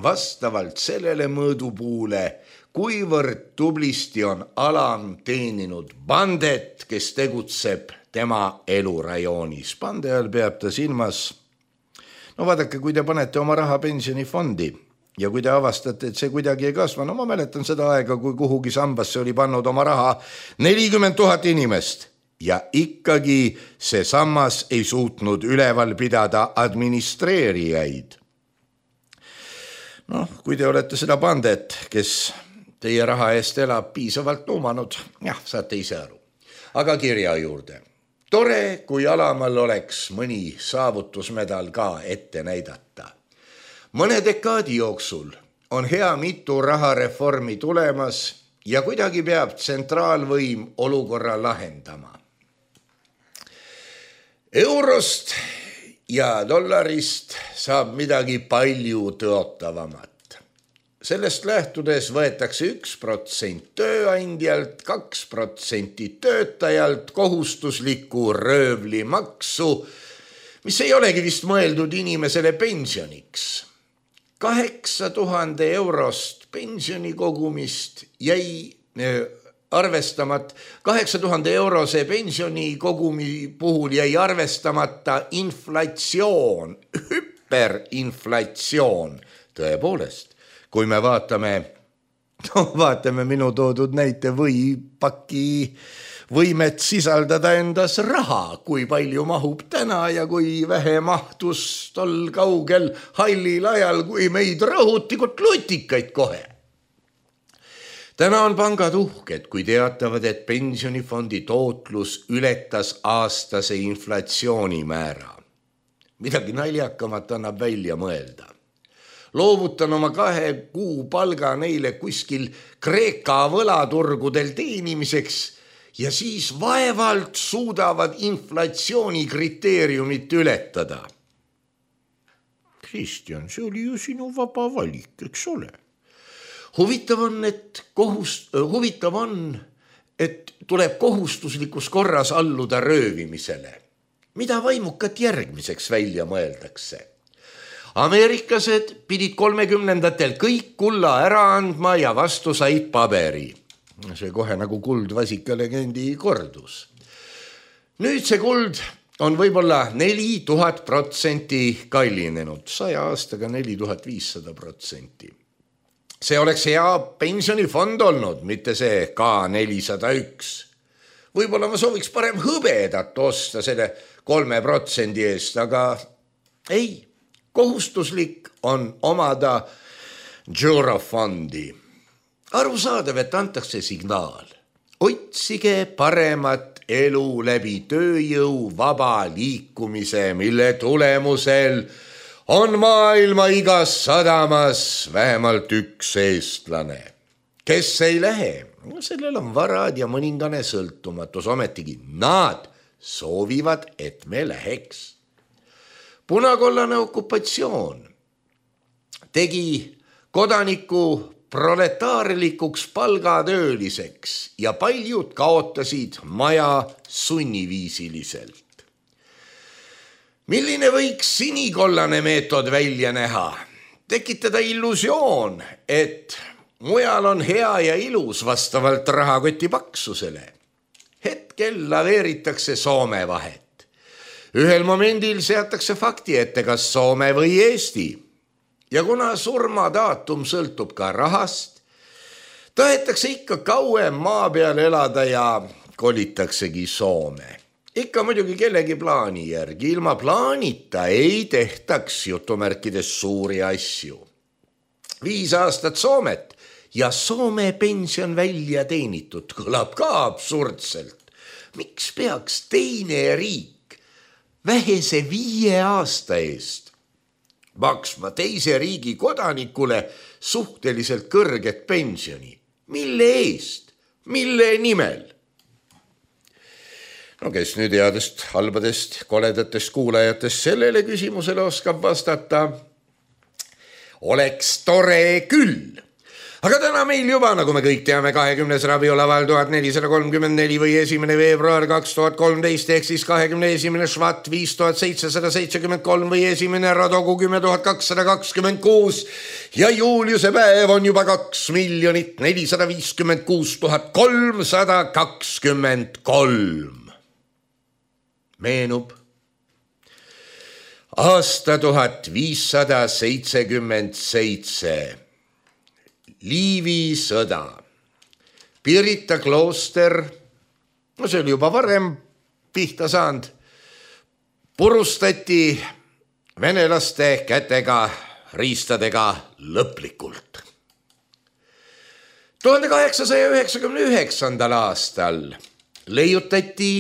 vastavalt sellele mõõdupuule, kuivõrd tublisti on alam teeninud bandet, kes tegutseb tema elurajoonis. Bande all peab ta silmas. Vaadake, kui te panete oma raha pensionifondi ja kui te avastate, et see kuidagi ei kasva, ma mäletan seda aega, kui kuhugi sambasse oli pannud oma raha 40 000 inimest ja ikkagi see sammas ei suutnud üleval pidada administreerijaid. Kui te olete seda bandet, kes teie raha eest elab, piisavalt nuumanud, saate ise aru. Aga kirja juurde. Tore, kui Alamaal oleks mõni saavutusmedal ka ette näidata. Mõne dekaadi jooksul on hea mitu rahareformi tulemas ja kuidagi peab tsentraalvõim olukorra lahendama. Eurost ja dollarist saab midagi palju tõotavamat. Sellest lähtudes võetakse 1% tööandjalt, 2% töötajalt kohustuslikku röövlimaksu, mis ei olegi vist mõeldud inimesele pensioniks. 8000 eurost pensionikogumist jäi arvestamata, 8000 eurose pensionikogumi puhul jäi arvestamata inflatsioon, hüperinflatsioon, tõepoolest. Kui me vaatame minu toodud näite võipaki võimet sisaldada endas raha, kui palju mahub täna ja kui vähe mahtus tol kaugel hallil ajal, kui meid rõhutikud lutikaid kohe. Täna on pangad uhked, kui teatavad, et pensionifondi tootlus ületas aastase inflatsioonimäära. Midagi naljakamat annab välja mõelda. Loovutan oma 2 kuu palga neile kuskil Kreeka võlaturgudel teenimiseks ja siis vaevalt suudavad inflatsioonikriteeriumit ületada. Kristjan, see oli ju sinu vaba valik, eks ole? Huvitav on, et tuleb kohustuslikus korras alluda röövimisele. Mida vaimukat järgmiseks välja mõeldakse? Ameeriklased pidid 30ndatel kõik kulla ära andma ja vastu said paberi. See kohe nagu kuldvasika legendi kordus. Nüüd see kuld on võib-olla 4000% kallinenud, 100 aastaga 4500%. See oleks hea pensionifond olnud, mitte see K401. Võib-olla ma sooviks parem hõbedat osta selle 3% eest, aga ei. Kohustuslik on omada Eurofondi. Arusaadav, et antakse signaal. Otsige paremat elu läbi tööjõu vaba liikumise, mille tulemusel on maailma igas sadamas vähemalt üks eestlane. Kes ei lähe? Sellel on varad ja mõningane sõltumatus, ometigi nad soovivad, et me läheks. Punakollane okupatsioon tegi kodaniku proletaarlikuks palgatööliseks ja paljud kaotasid maja sunniviisiliselt. Milline võiks sinikollane meetod välja näha? Tekitada illusioon, et mujal on hea ja ilus vastavalt rahakoti paksusele. Hetkel laveeritakse Soome vahet. Ühel momendil seatakse fakti ette, kas Soome või Eesti. Ja kuna surmadaatum sõltub ka rahast, tahetakse ikka kauem maa peal elada ja kolitaksegi Soome. Ikka muidugi kellegi plaani järgi. Ilma plaanita ei tehtaks jutumärkides suuri asju. 5 aastat Soomet ja Soome pension välja teenitud kõlab ka absurdselt. Miks peaks teine riik vähese 5 aasta eest maksma teise riigi kodanikule suhteliselt kõrget pensioni? Mille eest? Mille nimel? No kes nüüd headest, halbadest, koledatest kuulajatest sellele küsimusele oskab vastata? Oleks tore küll. Aga täna meil juba, nagu me kõik teame, 20. rabiolaval 1434 või 1. veebruar 2013 ehk siis 21. švat 5773 või 1. radogu 10226 ja Juliuse päev on juba 2 456 323. Meenub aasta 1577. Liivi sõda. Pirita klooster, no see oli juba varem pihta saanud, purustati venelaste kätega, riistadega lõplikult. 1899. aastal leiutati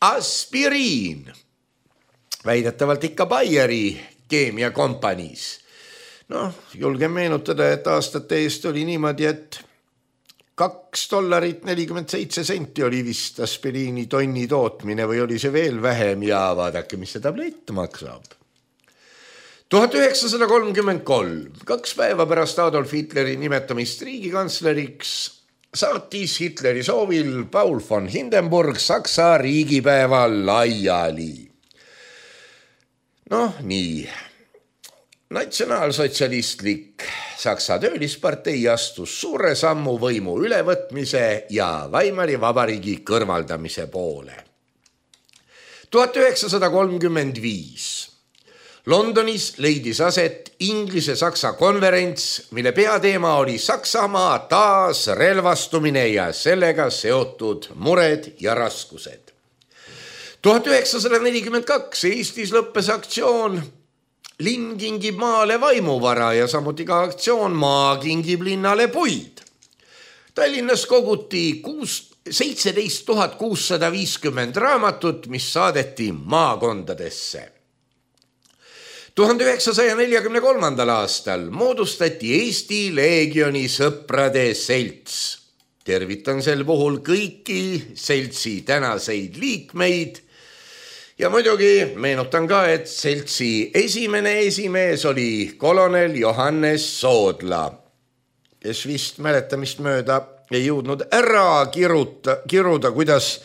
aspiriin. Väidetavalt ikka Bayeri keemiakompaniis. Julgen meenutada, et aastate eest oli niimoodi, et $2.47 oli vist aspiriini tonni tootmine või oli see veel vähem ja vaadake, mis see tablett maksab. 1933, 2 päeva pärast Adolf Hitleri nimetamist riigikantsleriks, saatis Hitleri soovil Paul von Hindenburg Saksa riigipäeva laiali. Nii. Natsionaalsotsialistlik Saksa töölispartei astus suure sammu võimu ülevõtmise ja Weimari vabariigi kõrvaldamise poole. 1935. Londonis leidis aset Inglise-Saksa konverents, mille peateema oli Saksamaa taasrelvastumine ja sellega seotud mured ja raskused. 1942. Eestis lõppes aktsioon Linn kingib maale vaimuvara ja samuti ka aktsioon Maa kingib linnale puid. Tallinnas koguti 17 650 raamatut, mis saadeti maakondadesse. 1943. aastal moodustati Eesti Leegioni sõprade selts. Tervitan sel puhul kõiki seltsi tänaseid liikmeid. Ja muidugi meenutan ka, et seltsi esimene esimees oli kolonel Johannes Soodla, kes vist mäletamist mööda ei jõudnud ära kiruda, kuidas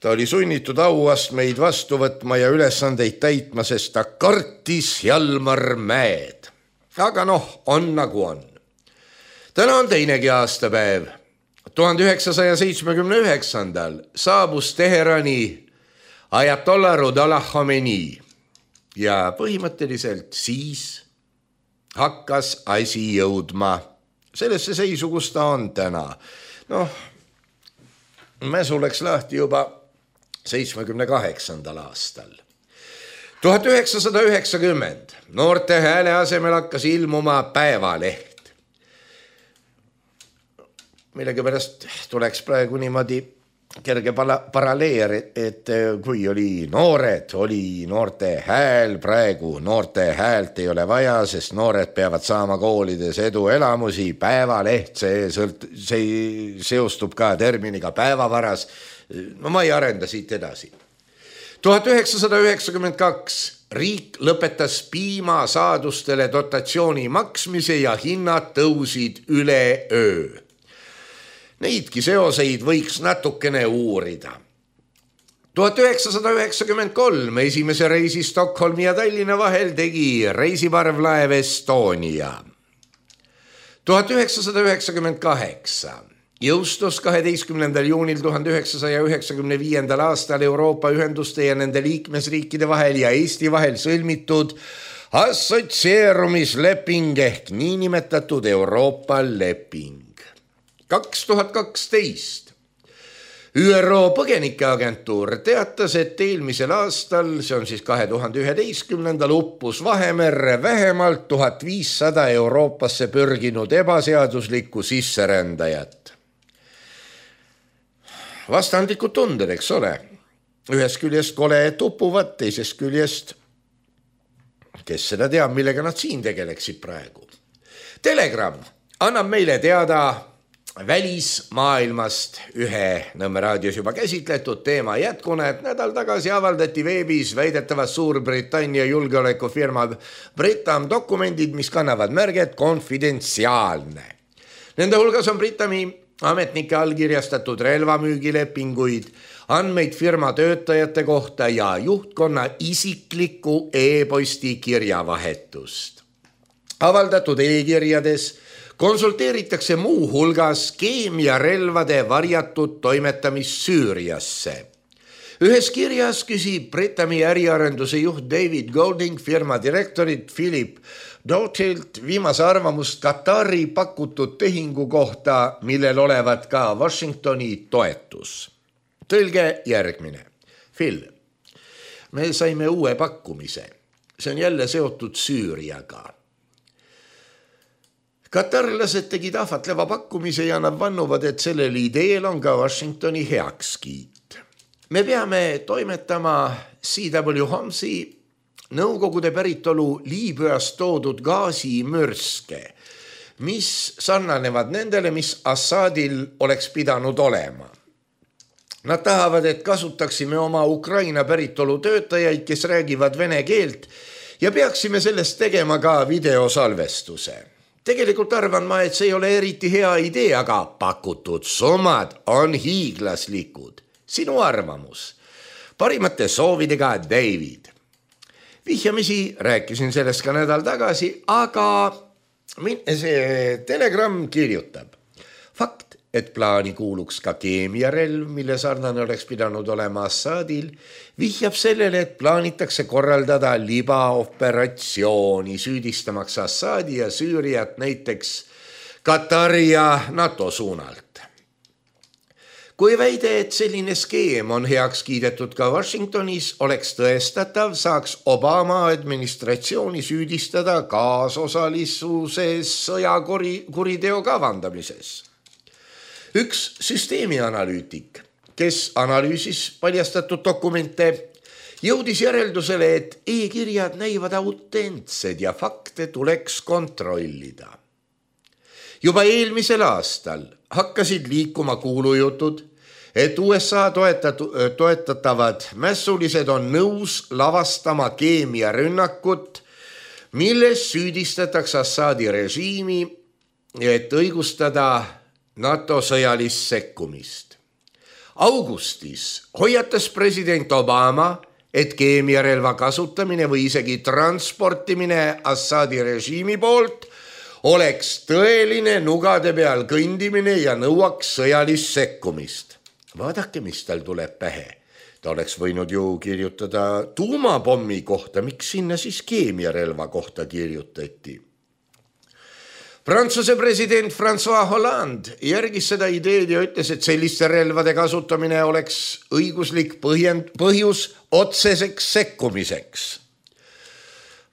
ta oli sunnitud auastmeid vastu võtma ja ülesandeid täitma, sest ta kartis Hjalmar Mäed. Aga on nagu on. Täna on teinegi aastapäev. 1979. saabus Teherani Ajatollah Ruhollah Khomeini ja põhimõtteliselt siis hakkas asi jõudma sellesse seisu, kus ta on täna. Mäsu läks lahti juba 78. aastal. 1990. Noorte hääle asemel hakkas ilmuma Päevaleht. Millegipärast tuleks praegu niimoodi kerge paralleer, et kui oli noored, oli noorte hääl, praegu noorte häält ei ole vaja, sest noored peavad saama koolides eduelamusi. Päevaleht, see seostub ka terminiga päevavaras. Ma ei arenda siit edasi. 1992 riik lõpetas piimasaadustele dotatsiooni maksmise ja hinnad tõusid üleöö. Neidki seoseid võiks natukene uurida. 1993 esimese reisi Stockholmi ja Tallinna vahel tegi reisiparvlaev Estonia. 1998 jõustus 12. juunil 1995. aastal Euroopa ühenduste ja nende liikmesriikide vahel ja Eesti vahel sõlmitud assotsieerumisleping ehk niinimetatud Euroopa leping. 2012 ÜRO põgenikeagentuur teatas, et eelmisel aastal, see on siis 2011. uppus Vahemerre vähemalt 1500 Euroopasse pürginud ebaseaduslikku sisserändajat. Vastandlikud tunded, eks ole. Ühest küljest kole tupuvad, teisest küljest, kes seda teab, millega nad siin tegeleksid praegu. Telegram annab meile teada välismaailmast ühe Nõmme raadios juba käsitletud teema jätkuna, et nädal tagasi avaldati veebis väidetavalt Suurbritannia julgeolekufirma Britam dokumendid, mis kannavad märget konfidentsiaalne. Nende hulgas on Britami ametnike allkirjastatud relvamüügilepinguid, andmeid firma töötajate kohta ja juhtkonna isiklikku e-posti kirjavahetust. Avaldatud e-kirjades konsulteeritakse muu hulgas keemiarelvade varjatud toimetamist Süüriasse. Ühes kirjas küsib Britami äriarenduse juht David Golding firma direktorit Philip Doughertilt viimase arvamust Katari pakutud tehingu kohta, millel olevat ka Washingtoni toetus. Tõlge järgmine. Phil, me saime uue pakkumise. See on jälle seotud Süüriaga. Katarlased tegid ahvatleva pakkumise ja nad vannuvad, et sellel ideel on ka Washingtoni heakskiit. me peame toimetama C.W. Holmesi Nõukogude päritolu Liibüast toodud gaasimürske, mis sarnanevad nendele, mis Assadil oleks pidanud olema. Nad tahavad, et kasutaksime oma Ukraina päritolu töötajaid, kes räägivad vene keelt ja peaksime sellest tegema ka videosalvestuse. Tegelikult arvan ma, et see ei ole eriti hea idee, aga pakutud summad on hiiglaslikud. Sinu arvamus. Parimate soovidega David. Vihjamisi rääkisin sellest ka nädal tagasi, aga see Telegram kirjutab. Fakt, et plaani kuuluks ka keemiarelv, mille sarnane oleks pidanud olema Assadil, vihjab sellele, et plaanitakse korraldada libaoperatsiooni, süüdistamaks Assadi ja Süüriat näiteks Katari ja NATO suunalt. Kui väide, et selline skeem on heaks kiidetud ka Washingtonis, oleks tõestatav, saaks Obama administratsiooni süüdistada kaasosalisuses sõjakuriteo kavandamises. Üks süsteemianalüütik, kes analüüsis paljastatud dokumente, jõudis järeldusele, et e-kirjad näivad autentsed ja fakte tuleks kontrollida. Juba eelmisel aastal hakkasid liikuma kuulujutud, et USA toetatavad mässulised on nõus lavastama keemiarünnakut, milles süüdistatakse Assadi režiimi, et õigustada NATO sõjalist sekkumist. Augustis hoiatas president Obama, et keemiarelva kasutamine või isegi transportimine Assadi režiimi poolt oleks tõeline nugade peal kõndimine ja nõuaks sõjalist sekkumist. Vaadake, mis tal tuleb pähe. Ta oleks võinud ju kirjutada tuumapommi kohta, miks sinna siis keemiarelva kohta kirjutati. Prantsuse president François Hollande järgis seda ideed ja ütles, et selliste relvade kasutamine oleks õiguslik põhjus otseseks sekkumiseks.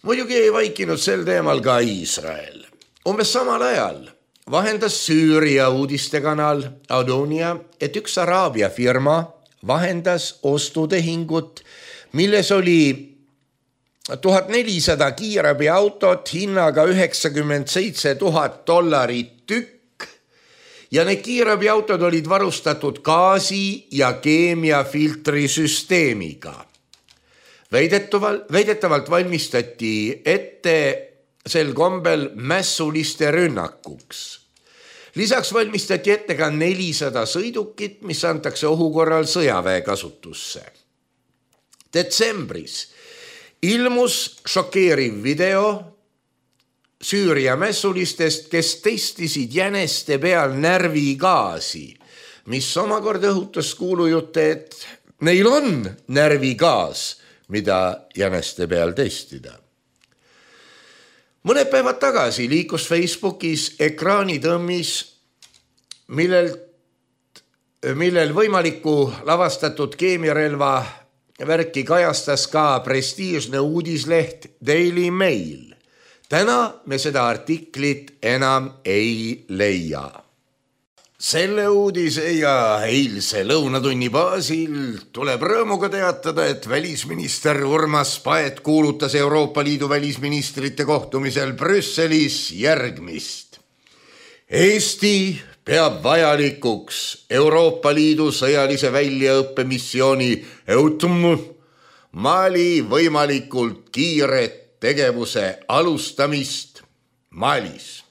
Muidugi ei vaikinud sel teemal ka Iisrael. Umbes samal ajal vahendas Süüria uudistekanal Adonia, et üks Araabia firma vahendas ostutehingut, milles oli 1400 kiirabiautot hinnaga $97 000 tükk ja need kiirabiautod olid varustatud gaasi- ja keemiafiltri süsteemiga. Väidetavalt valmistati ette sel kombel mässuliste rünnakuks. Lisaks valmistati ette ka 400 sõidukit, mis antakse ohukorral sõjaväe kasutusse. Detsembris ilmus šokeeriv video Süüria mässulistest, kes testisid jäneste peal närvigaasi, mis omakorda õhutas kuulujutte, et neil on närvigaas, mida jäneste peal testida. Mõned päevad tagasi liikus Facebookis ekraanitõmmis, millel võimaliku lavastatud keemiarelva värki kajastas ka prestiižne uudisleht Daily Mail. Täna me seda artiklit enam ei leia. Selle uudise ja eilse lõunatunni baasil tuleb rõõmuga teatada, et välisminister Urmas Paet kuulutas Euroopa Liidu välisministrite kohtumisel Brüsselis järgmist. Eesti peab vajalikuks Euroopa Liidu sõjalise väljaõppemissiooni EUTM Mali võimalikult kiiret tegevuse alustamist Malis.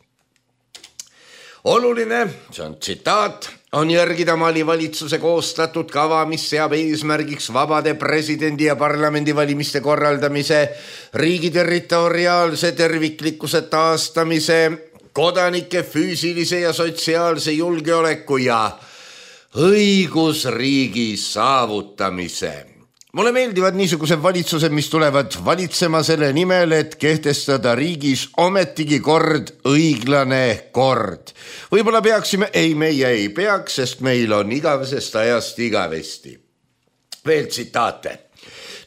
Oluline, see on tsitaat, on järgida Mali valitsuse koostatud kava, mis seab eesmärgiks vabade presidendi ja parlamendivalimiste korraldamise, riigi territoriaalse terviklikkuse taastamise, kodanike füüsilise ja sotsiaalse julgeoleku ja õigusriigi saavutamise. Mulle meeldivad niisugused valitsused, mis tulevad valitsema selle nimel, et kehtestada riigis ometigi kord, õiglane kord. Võib-olla peaksime, meie ei peaks, sest meil on igavesest ajast igavesti. Veel tsitaate.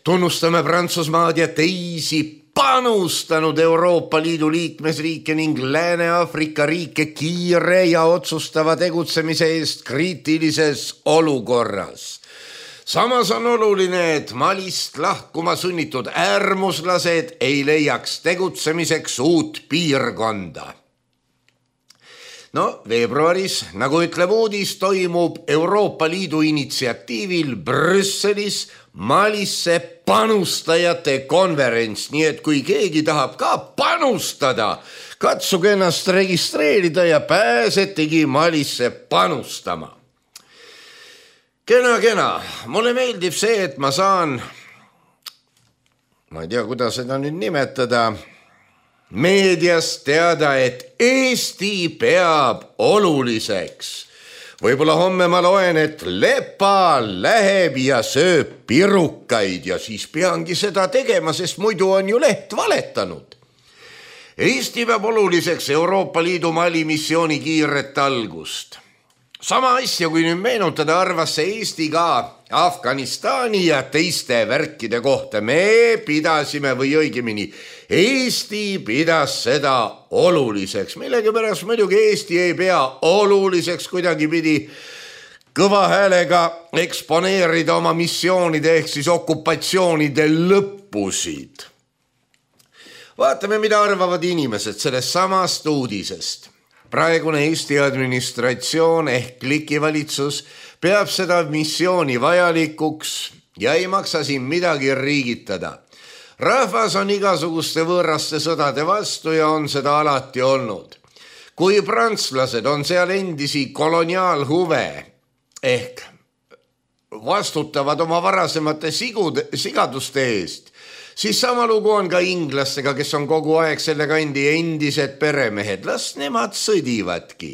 Tunnustame Prantsusmaad ja teisi panustanud Euroopa Liidu liikmesriike ning Lääne-Aafrika riike kiire ja otsustava tegutsemise eest kriitilises olukorras. samas on oluline, et Malist lahkuma sunnitud äärmuslased ei leiaks tegutsemiseks uut piirkonda. No veebruaris, nagu ütleb uudis, toimub Euroopa Liidu initsiatiivil Brüsselis Malisse panustajate konverents, nii et kui keegi tahab ka panustada, katsuge ennast registreerida ja pääsetegi Malisse panustama. Kena, mulle meeldib see, et ma saan, ma ei tea, kuidas seda nüüd nimetada, meedias teada, et Eesti peab oluliseks. Võib-olla homme ma loen, et Lepa läheb ja sööb pirukaid ja siis peangi seda tegema, sest muidu on ju leht valetanud. Eesti peab oluliseks Euroopa Liidu Mali missiooni kiiret algust. Sama asja, kui nüüd meenutada, arvas see Eesti ka Afganistani ja teiste värkide kohta. Me pidasime või õigemini Eesti pidas seda oluliseks. Millegipärast muidugi Eesti ei pea oluliseks kuidagipidi kõva häälega eksponeerida oma missioonide ehk siis okupatsioonide lõppusid. Vaatame, mida arvavad inimesed sellest samast uudisest. Praegune Eesti administratsioon ehk klikivalitsus peab seda missiooni vajalikuks ja ei maksa siin midagi riigitada. Rahvas on igasuguste võõraste sõdade vastu ja on seda alati olnud. Kui prantslased on seal endisi koloniaalhuve ehk vastutavad oma varasemate sigaduste eest, siis sama lugu on ka inglastega, kes on kogu aeg selle kandi endised peremehed. Las nemad sõdivadki.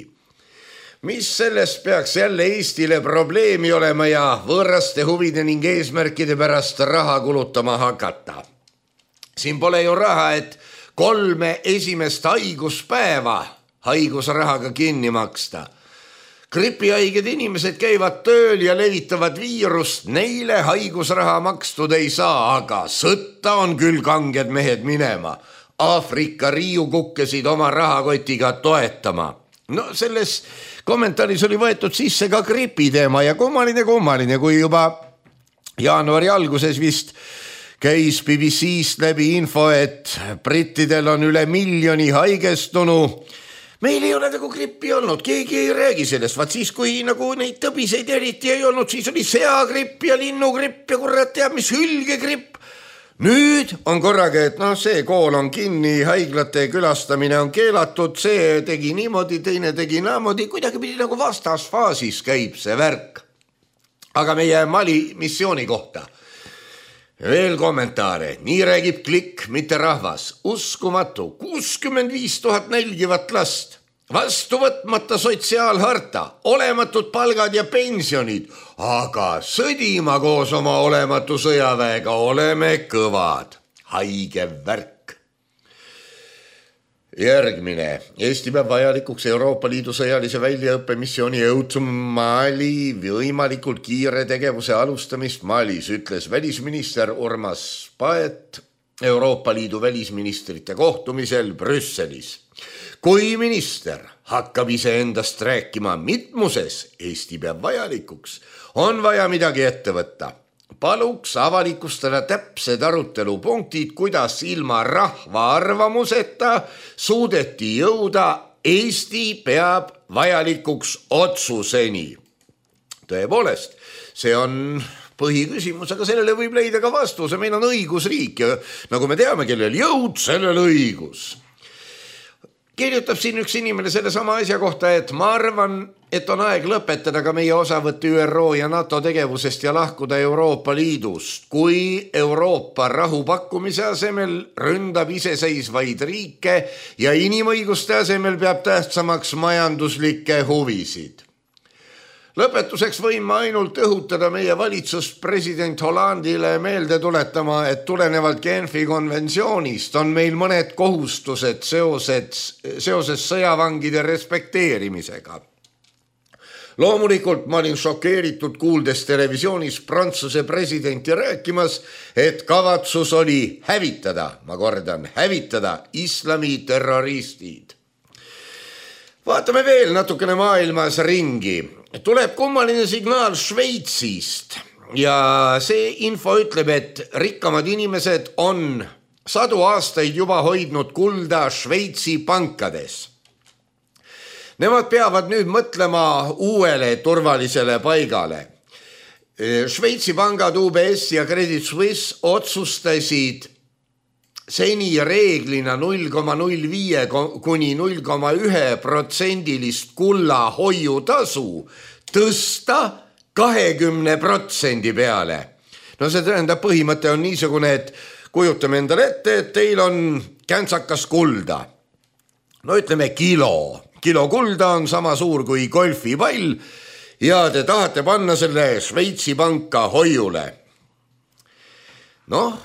Mis sellest peaks jälle Eestile probleemi olema ja võõraste huvide ning eesmärkide pärast raha kulutama hakata? Siin pole ju raha, et 3 esimest haiguspäeva haigusrahaga kinni maksta. Gripihaiged inimesed käivad tööl ja levitavad viirust, neile haigusraha makstud ei saa, aga sõtta on küll kanged mehed minema. Aafrika riiu kukkesid oma rahakotiga toetama. No selles kommentaaris oli võetud sisse ka gripiteema ja kummaline, kui juba jaanuari alguses vist käis BBC-st läbi info, et brittidel on üle 1 miljoni haigestunu. Meil ei ole nagu grippi olnud, keegi ei räägi sellest, vaat siis kui nagu neid tõbiseid eriti ei olnud, siis oli seagripp ja linnugripp ja kurat teab mis hülgegripp. Nüüd on korraga, et see kool on kinni, haiglate külastamine on keelatud, see tegi niimoodi, teine tegi naamoodi, kuidagi pidi nagu vastasfaasis käib see värk. Aga meie Mali missiooni kohta. Veel kommentaare, nii räägib klikk, mitte rahvas. Uskumatu, 65 000 nälgivat last, vastu võtmata sotsiaalharta, olematud palgad ja pensionid, aga sõdima koos oma olematu sõjaväega oleme kõvad. Haige värk. Järgmine. Eesti peab vajalikuks Euroopa Liidu sõjalise väljaõppemissiooni EUTM Mali võimalikult kiire tegevuse alustamist Malis, ütles välisminister Urmas Paet Euroopa Liidu välisministrite kohtumisel Brüsselis. Kui minister hakkab iseendast rääkima mitmuses, Eesti peab vajalikuks, on vaja midagi ette võtta. Paluks avalikustada täpsed arutelupunktid, kuidas ilma rahva arvamuseta suudeti jõuda Eesti peab vajalikuks otsuseni. Tõepoolest, see on põhiküsimus, aga sellele võib leida ka vastuse. Meil on õigusriik ja nagu me teame, kellel jõud, sellel õigus. Kirjutab siin üks inimene selle sama asja kohta, et ma arvan, et on aeg lõpetada ka meie osavõtt ÜRO ja NATO tegevusest ja lahkuda Euroopa Liidust. Kui Euroopa rahu pakkumise asemel ründab iseseisvaid riike ja inimõiguste asemel peab tähtsamaks majanduslikke huvisid. Lõpetuseks võin ma ainult õhutada meie valitsust president Hollandile meelde tuletama, et tulenevalt Genfi konventsioonist on meil mõned kohustused seoses sõjavangide respekteerimisega. Loomulikult ma olin šokeeritud kuuldes televisioonis Prantsuse presidenti rääkimas, et kavatsus oli hävitada, ma kordan, hävitada islami terroristid. Vaatame veel natukene maailmas ringi. Tuleb kummaline signaal Šveitsist. ja see info ütleb, et rikkamad inimesed on sadu aastaid juba hoidnud kulda Šveitsi pankades. Nemad peavad nüüd mõtlema uuele turvalisele paigale. Šveitsi pangad UBS ja Credit Suisse otsustasid seni reeglina 0,05 kuni 0,1% kulla hoiutasu tõsta 20% peale. No see tähendab, põhimõte on niisugune, et kujutame endale ette, et teil on käntsakas kulda. No ütleme kilo kulda on sama suur kui golfipall ja te tahate panna selle Šveitsi panka hoiule. Noh,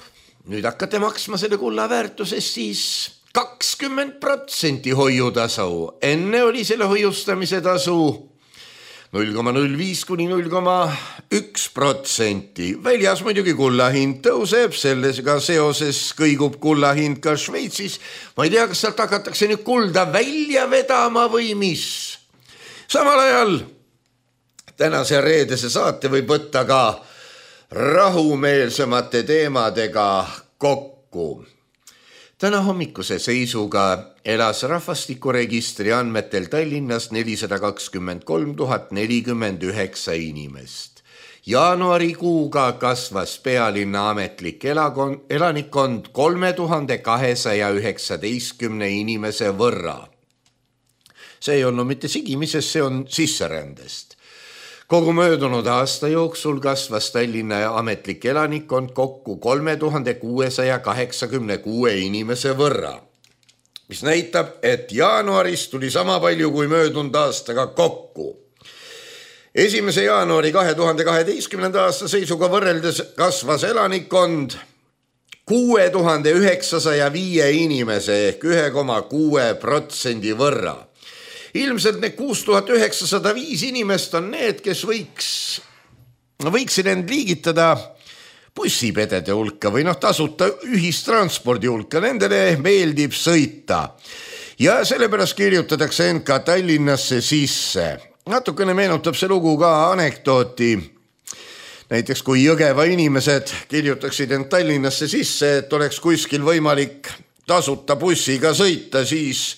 nüüd hakkate maksma selle kulla väärtuses siis 20% hoiutasu. Enne oli selle hoiustamise tasu 0,05 kuni 0,1%. Väljas muidugi kulla hind tõuseb, sellega seoses kõigub kulla hind ka Šveitsis. Ma ei tea, kas sealt hakatakse nüüd kulda välja vedama või mis. Samal ajal tänase reedese saate võib võtta ka rahumeelsemate teemadega kokku. Täna hommikuse seisuga elas rahvastikuregistri andmetel Tallinnas 423 049 inimest. Jaanuarikuuga kasvas pealinna ametlik elanikkond 3219 inimese võrra. See ei olnud mitte sigimisest, see on sisserändest. Kogu möödunud aasta jooksul kasvas Tallinna ametlik elanikkond kokku 3686 inimese võrra, mis näitab, et jaanuaris tuli sama palju kui möödunud aastaga kokku. 1. jaanuari 2012. aasta seisuga võrreldes kasvas elanikkond 6905 inimese ehk 1,6% võrra. Ilmselt need 6905 inimest on need, kes võiksid end liigitada bussipedede hulka või tasuta ühistranspordi hulka. Nendele meeldib sõita ja sellepärast kirjutatakse end ka Tallinnasse sisse. Natukene meenutab see lugu ka anekdooti. Näiteks kui Jõgeva inimesed kirjutaksid end Tallinnasse sisse, et oleks kuskil võimalik tasuta bussiga sõita, siis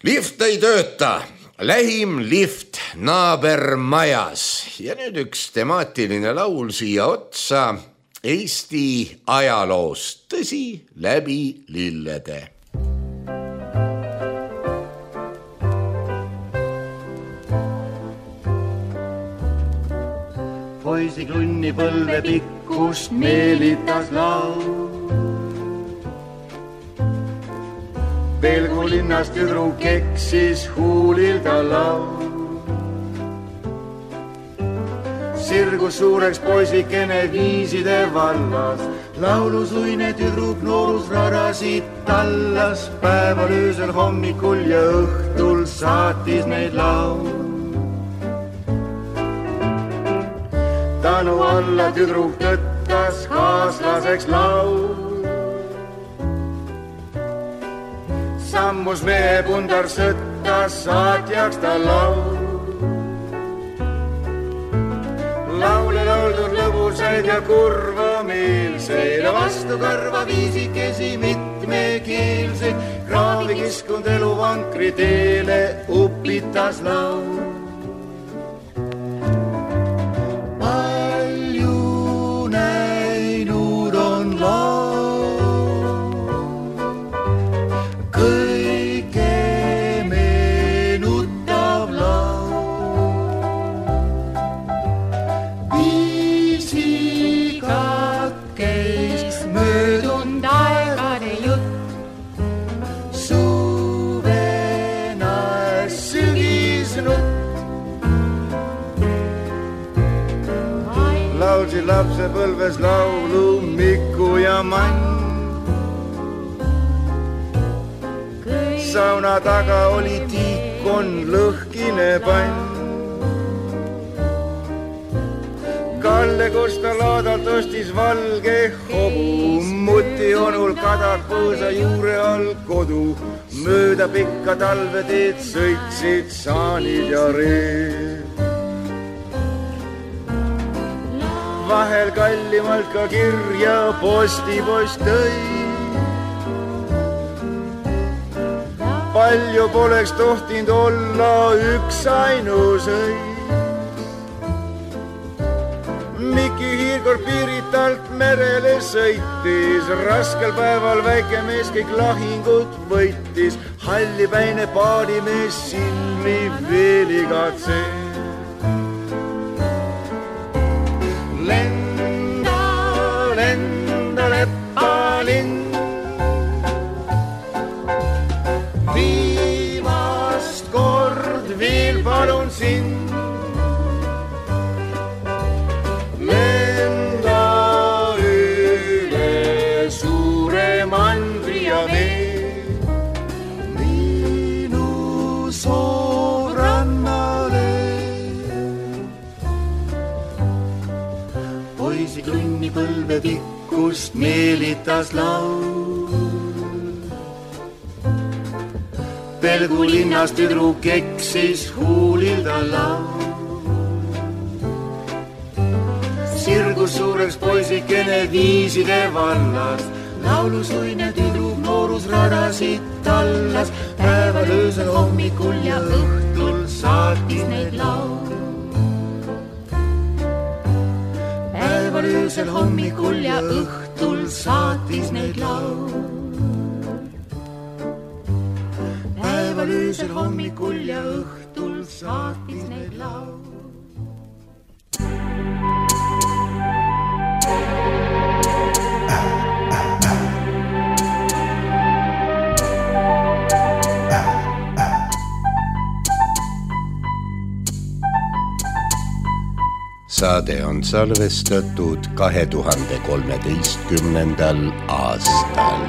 lift ei tööta, lähim lift naabermajas. Ja nüüd üks temaatiline laul siia otsa Eesti ajaloost, tõsi, läbi lillede. Poisi klunni põlve pikkust meelitas laul. Pelgu linnast tüdruk eksis huulil ta laul. Sirgus suureks poisikene viiside vallas. Laulusuine tüdruk noorus rarasid tallas. Päeval, öösel, hommikul ja õhtul saatis neid laul. Tanu alla tüdruk tõttas kaaslaseks laul. Sammus mehe pundar sõtta, saatjaks ta laul. Laule lauldud lõbusaid ja kurva meelseid, vastu kõrva viisikesi mitmekeelseid. Kraavi kiskund eluvankri teele upitas laul. Lapse põlves laulu Miku ja Mann. Sauna taga oli tiikon lõhkine pann. Kalle Kosta laadalt ostis valge hobu. Muti onul kadak põõsa juure all kodu. Mööda pikka talveteed sõitsid saanid ja reed. vahel kallimalt ka kirja postipost tõi. Palju poleks tohtinud olla üks ainus õis. Miki hiirkord Piiritalt merele sõitis, raskel päeval väike mees kõik lahingud võitis. Hallipäine paadimees Silvi veel igatseb. Lenda, lenda lepalind, viimast kord veel palun sind. Lenda üle suure mandri ja vee, minu soorannale. Poisi klunni põlve pikkust meelitas laul. Pelgu linnas tüdruk eksis huulil ta laul. Sirgus suureks poisikene viiside vallas, laulusuine tüdruk noorus radasid tallas. Päeval öösel hommikul ja õhtul saatis neid laul. Päeval öösel hommikul ja õhtul saatis neid laul. Päeval öösel hommikul ja õhtul saatis neid laul. Saade on salvestatud 2013. aastal.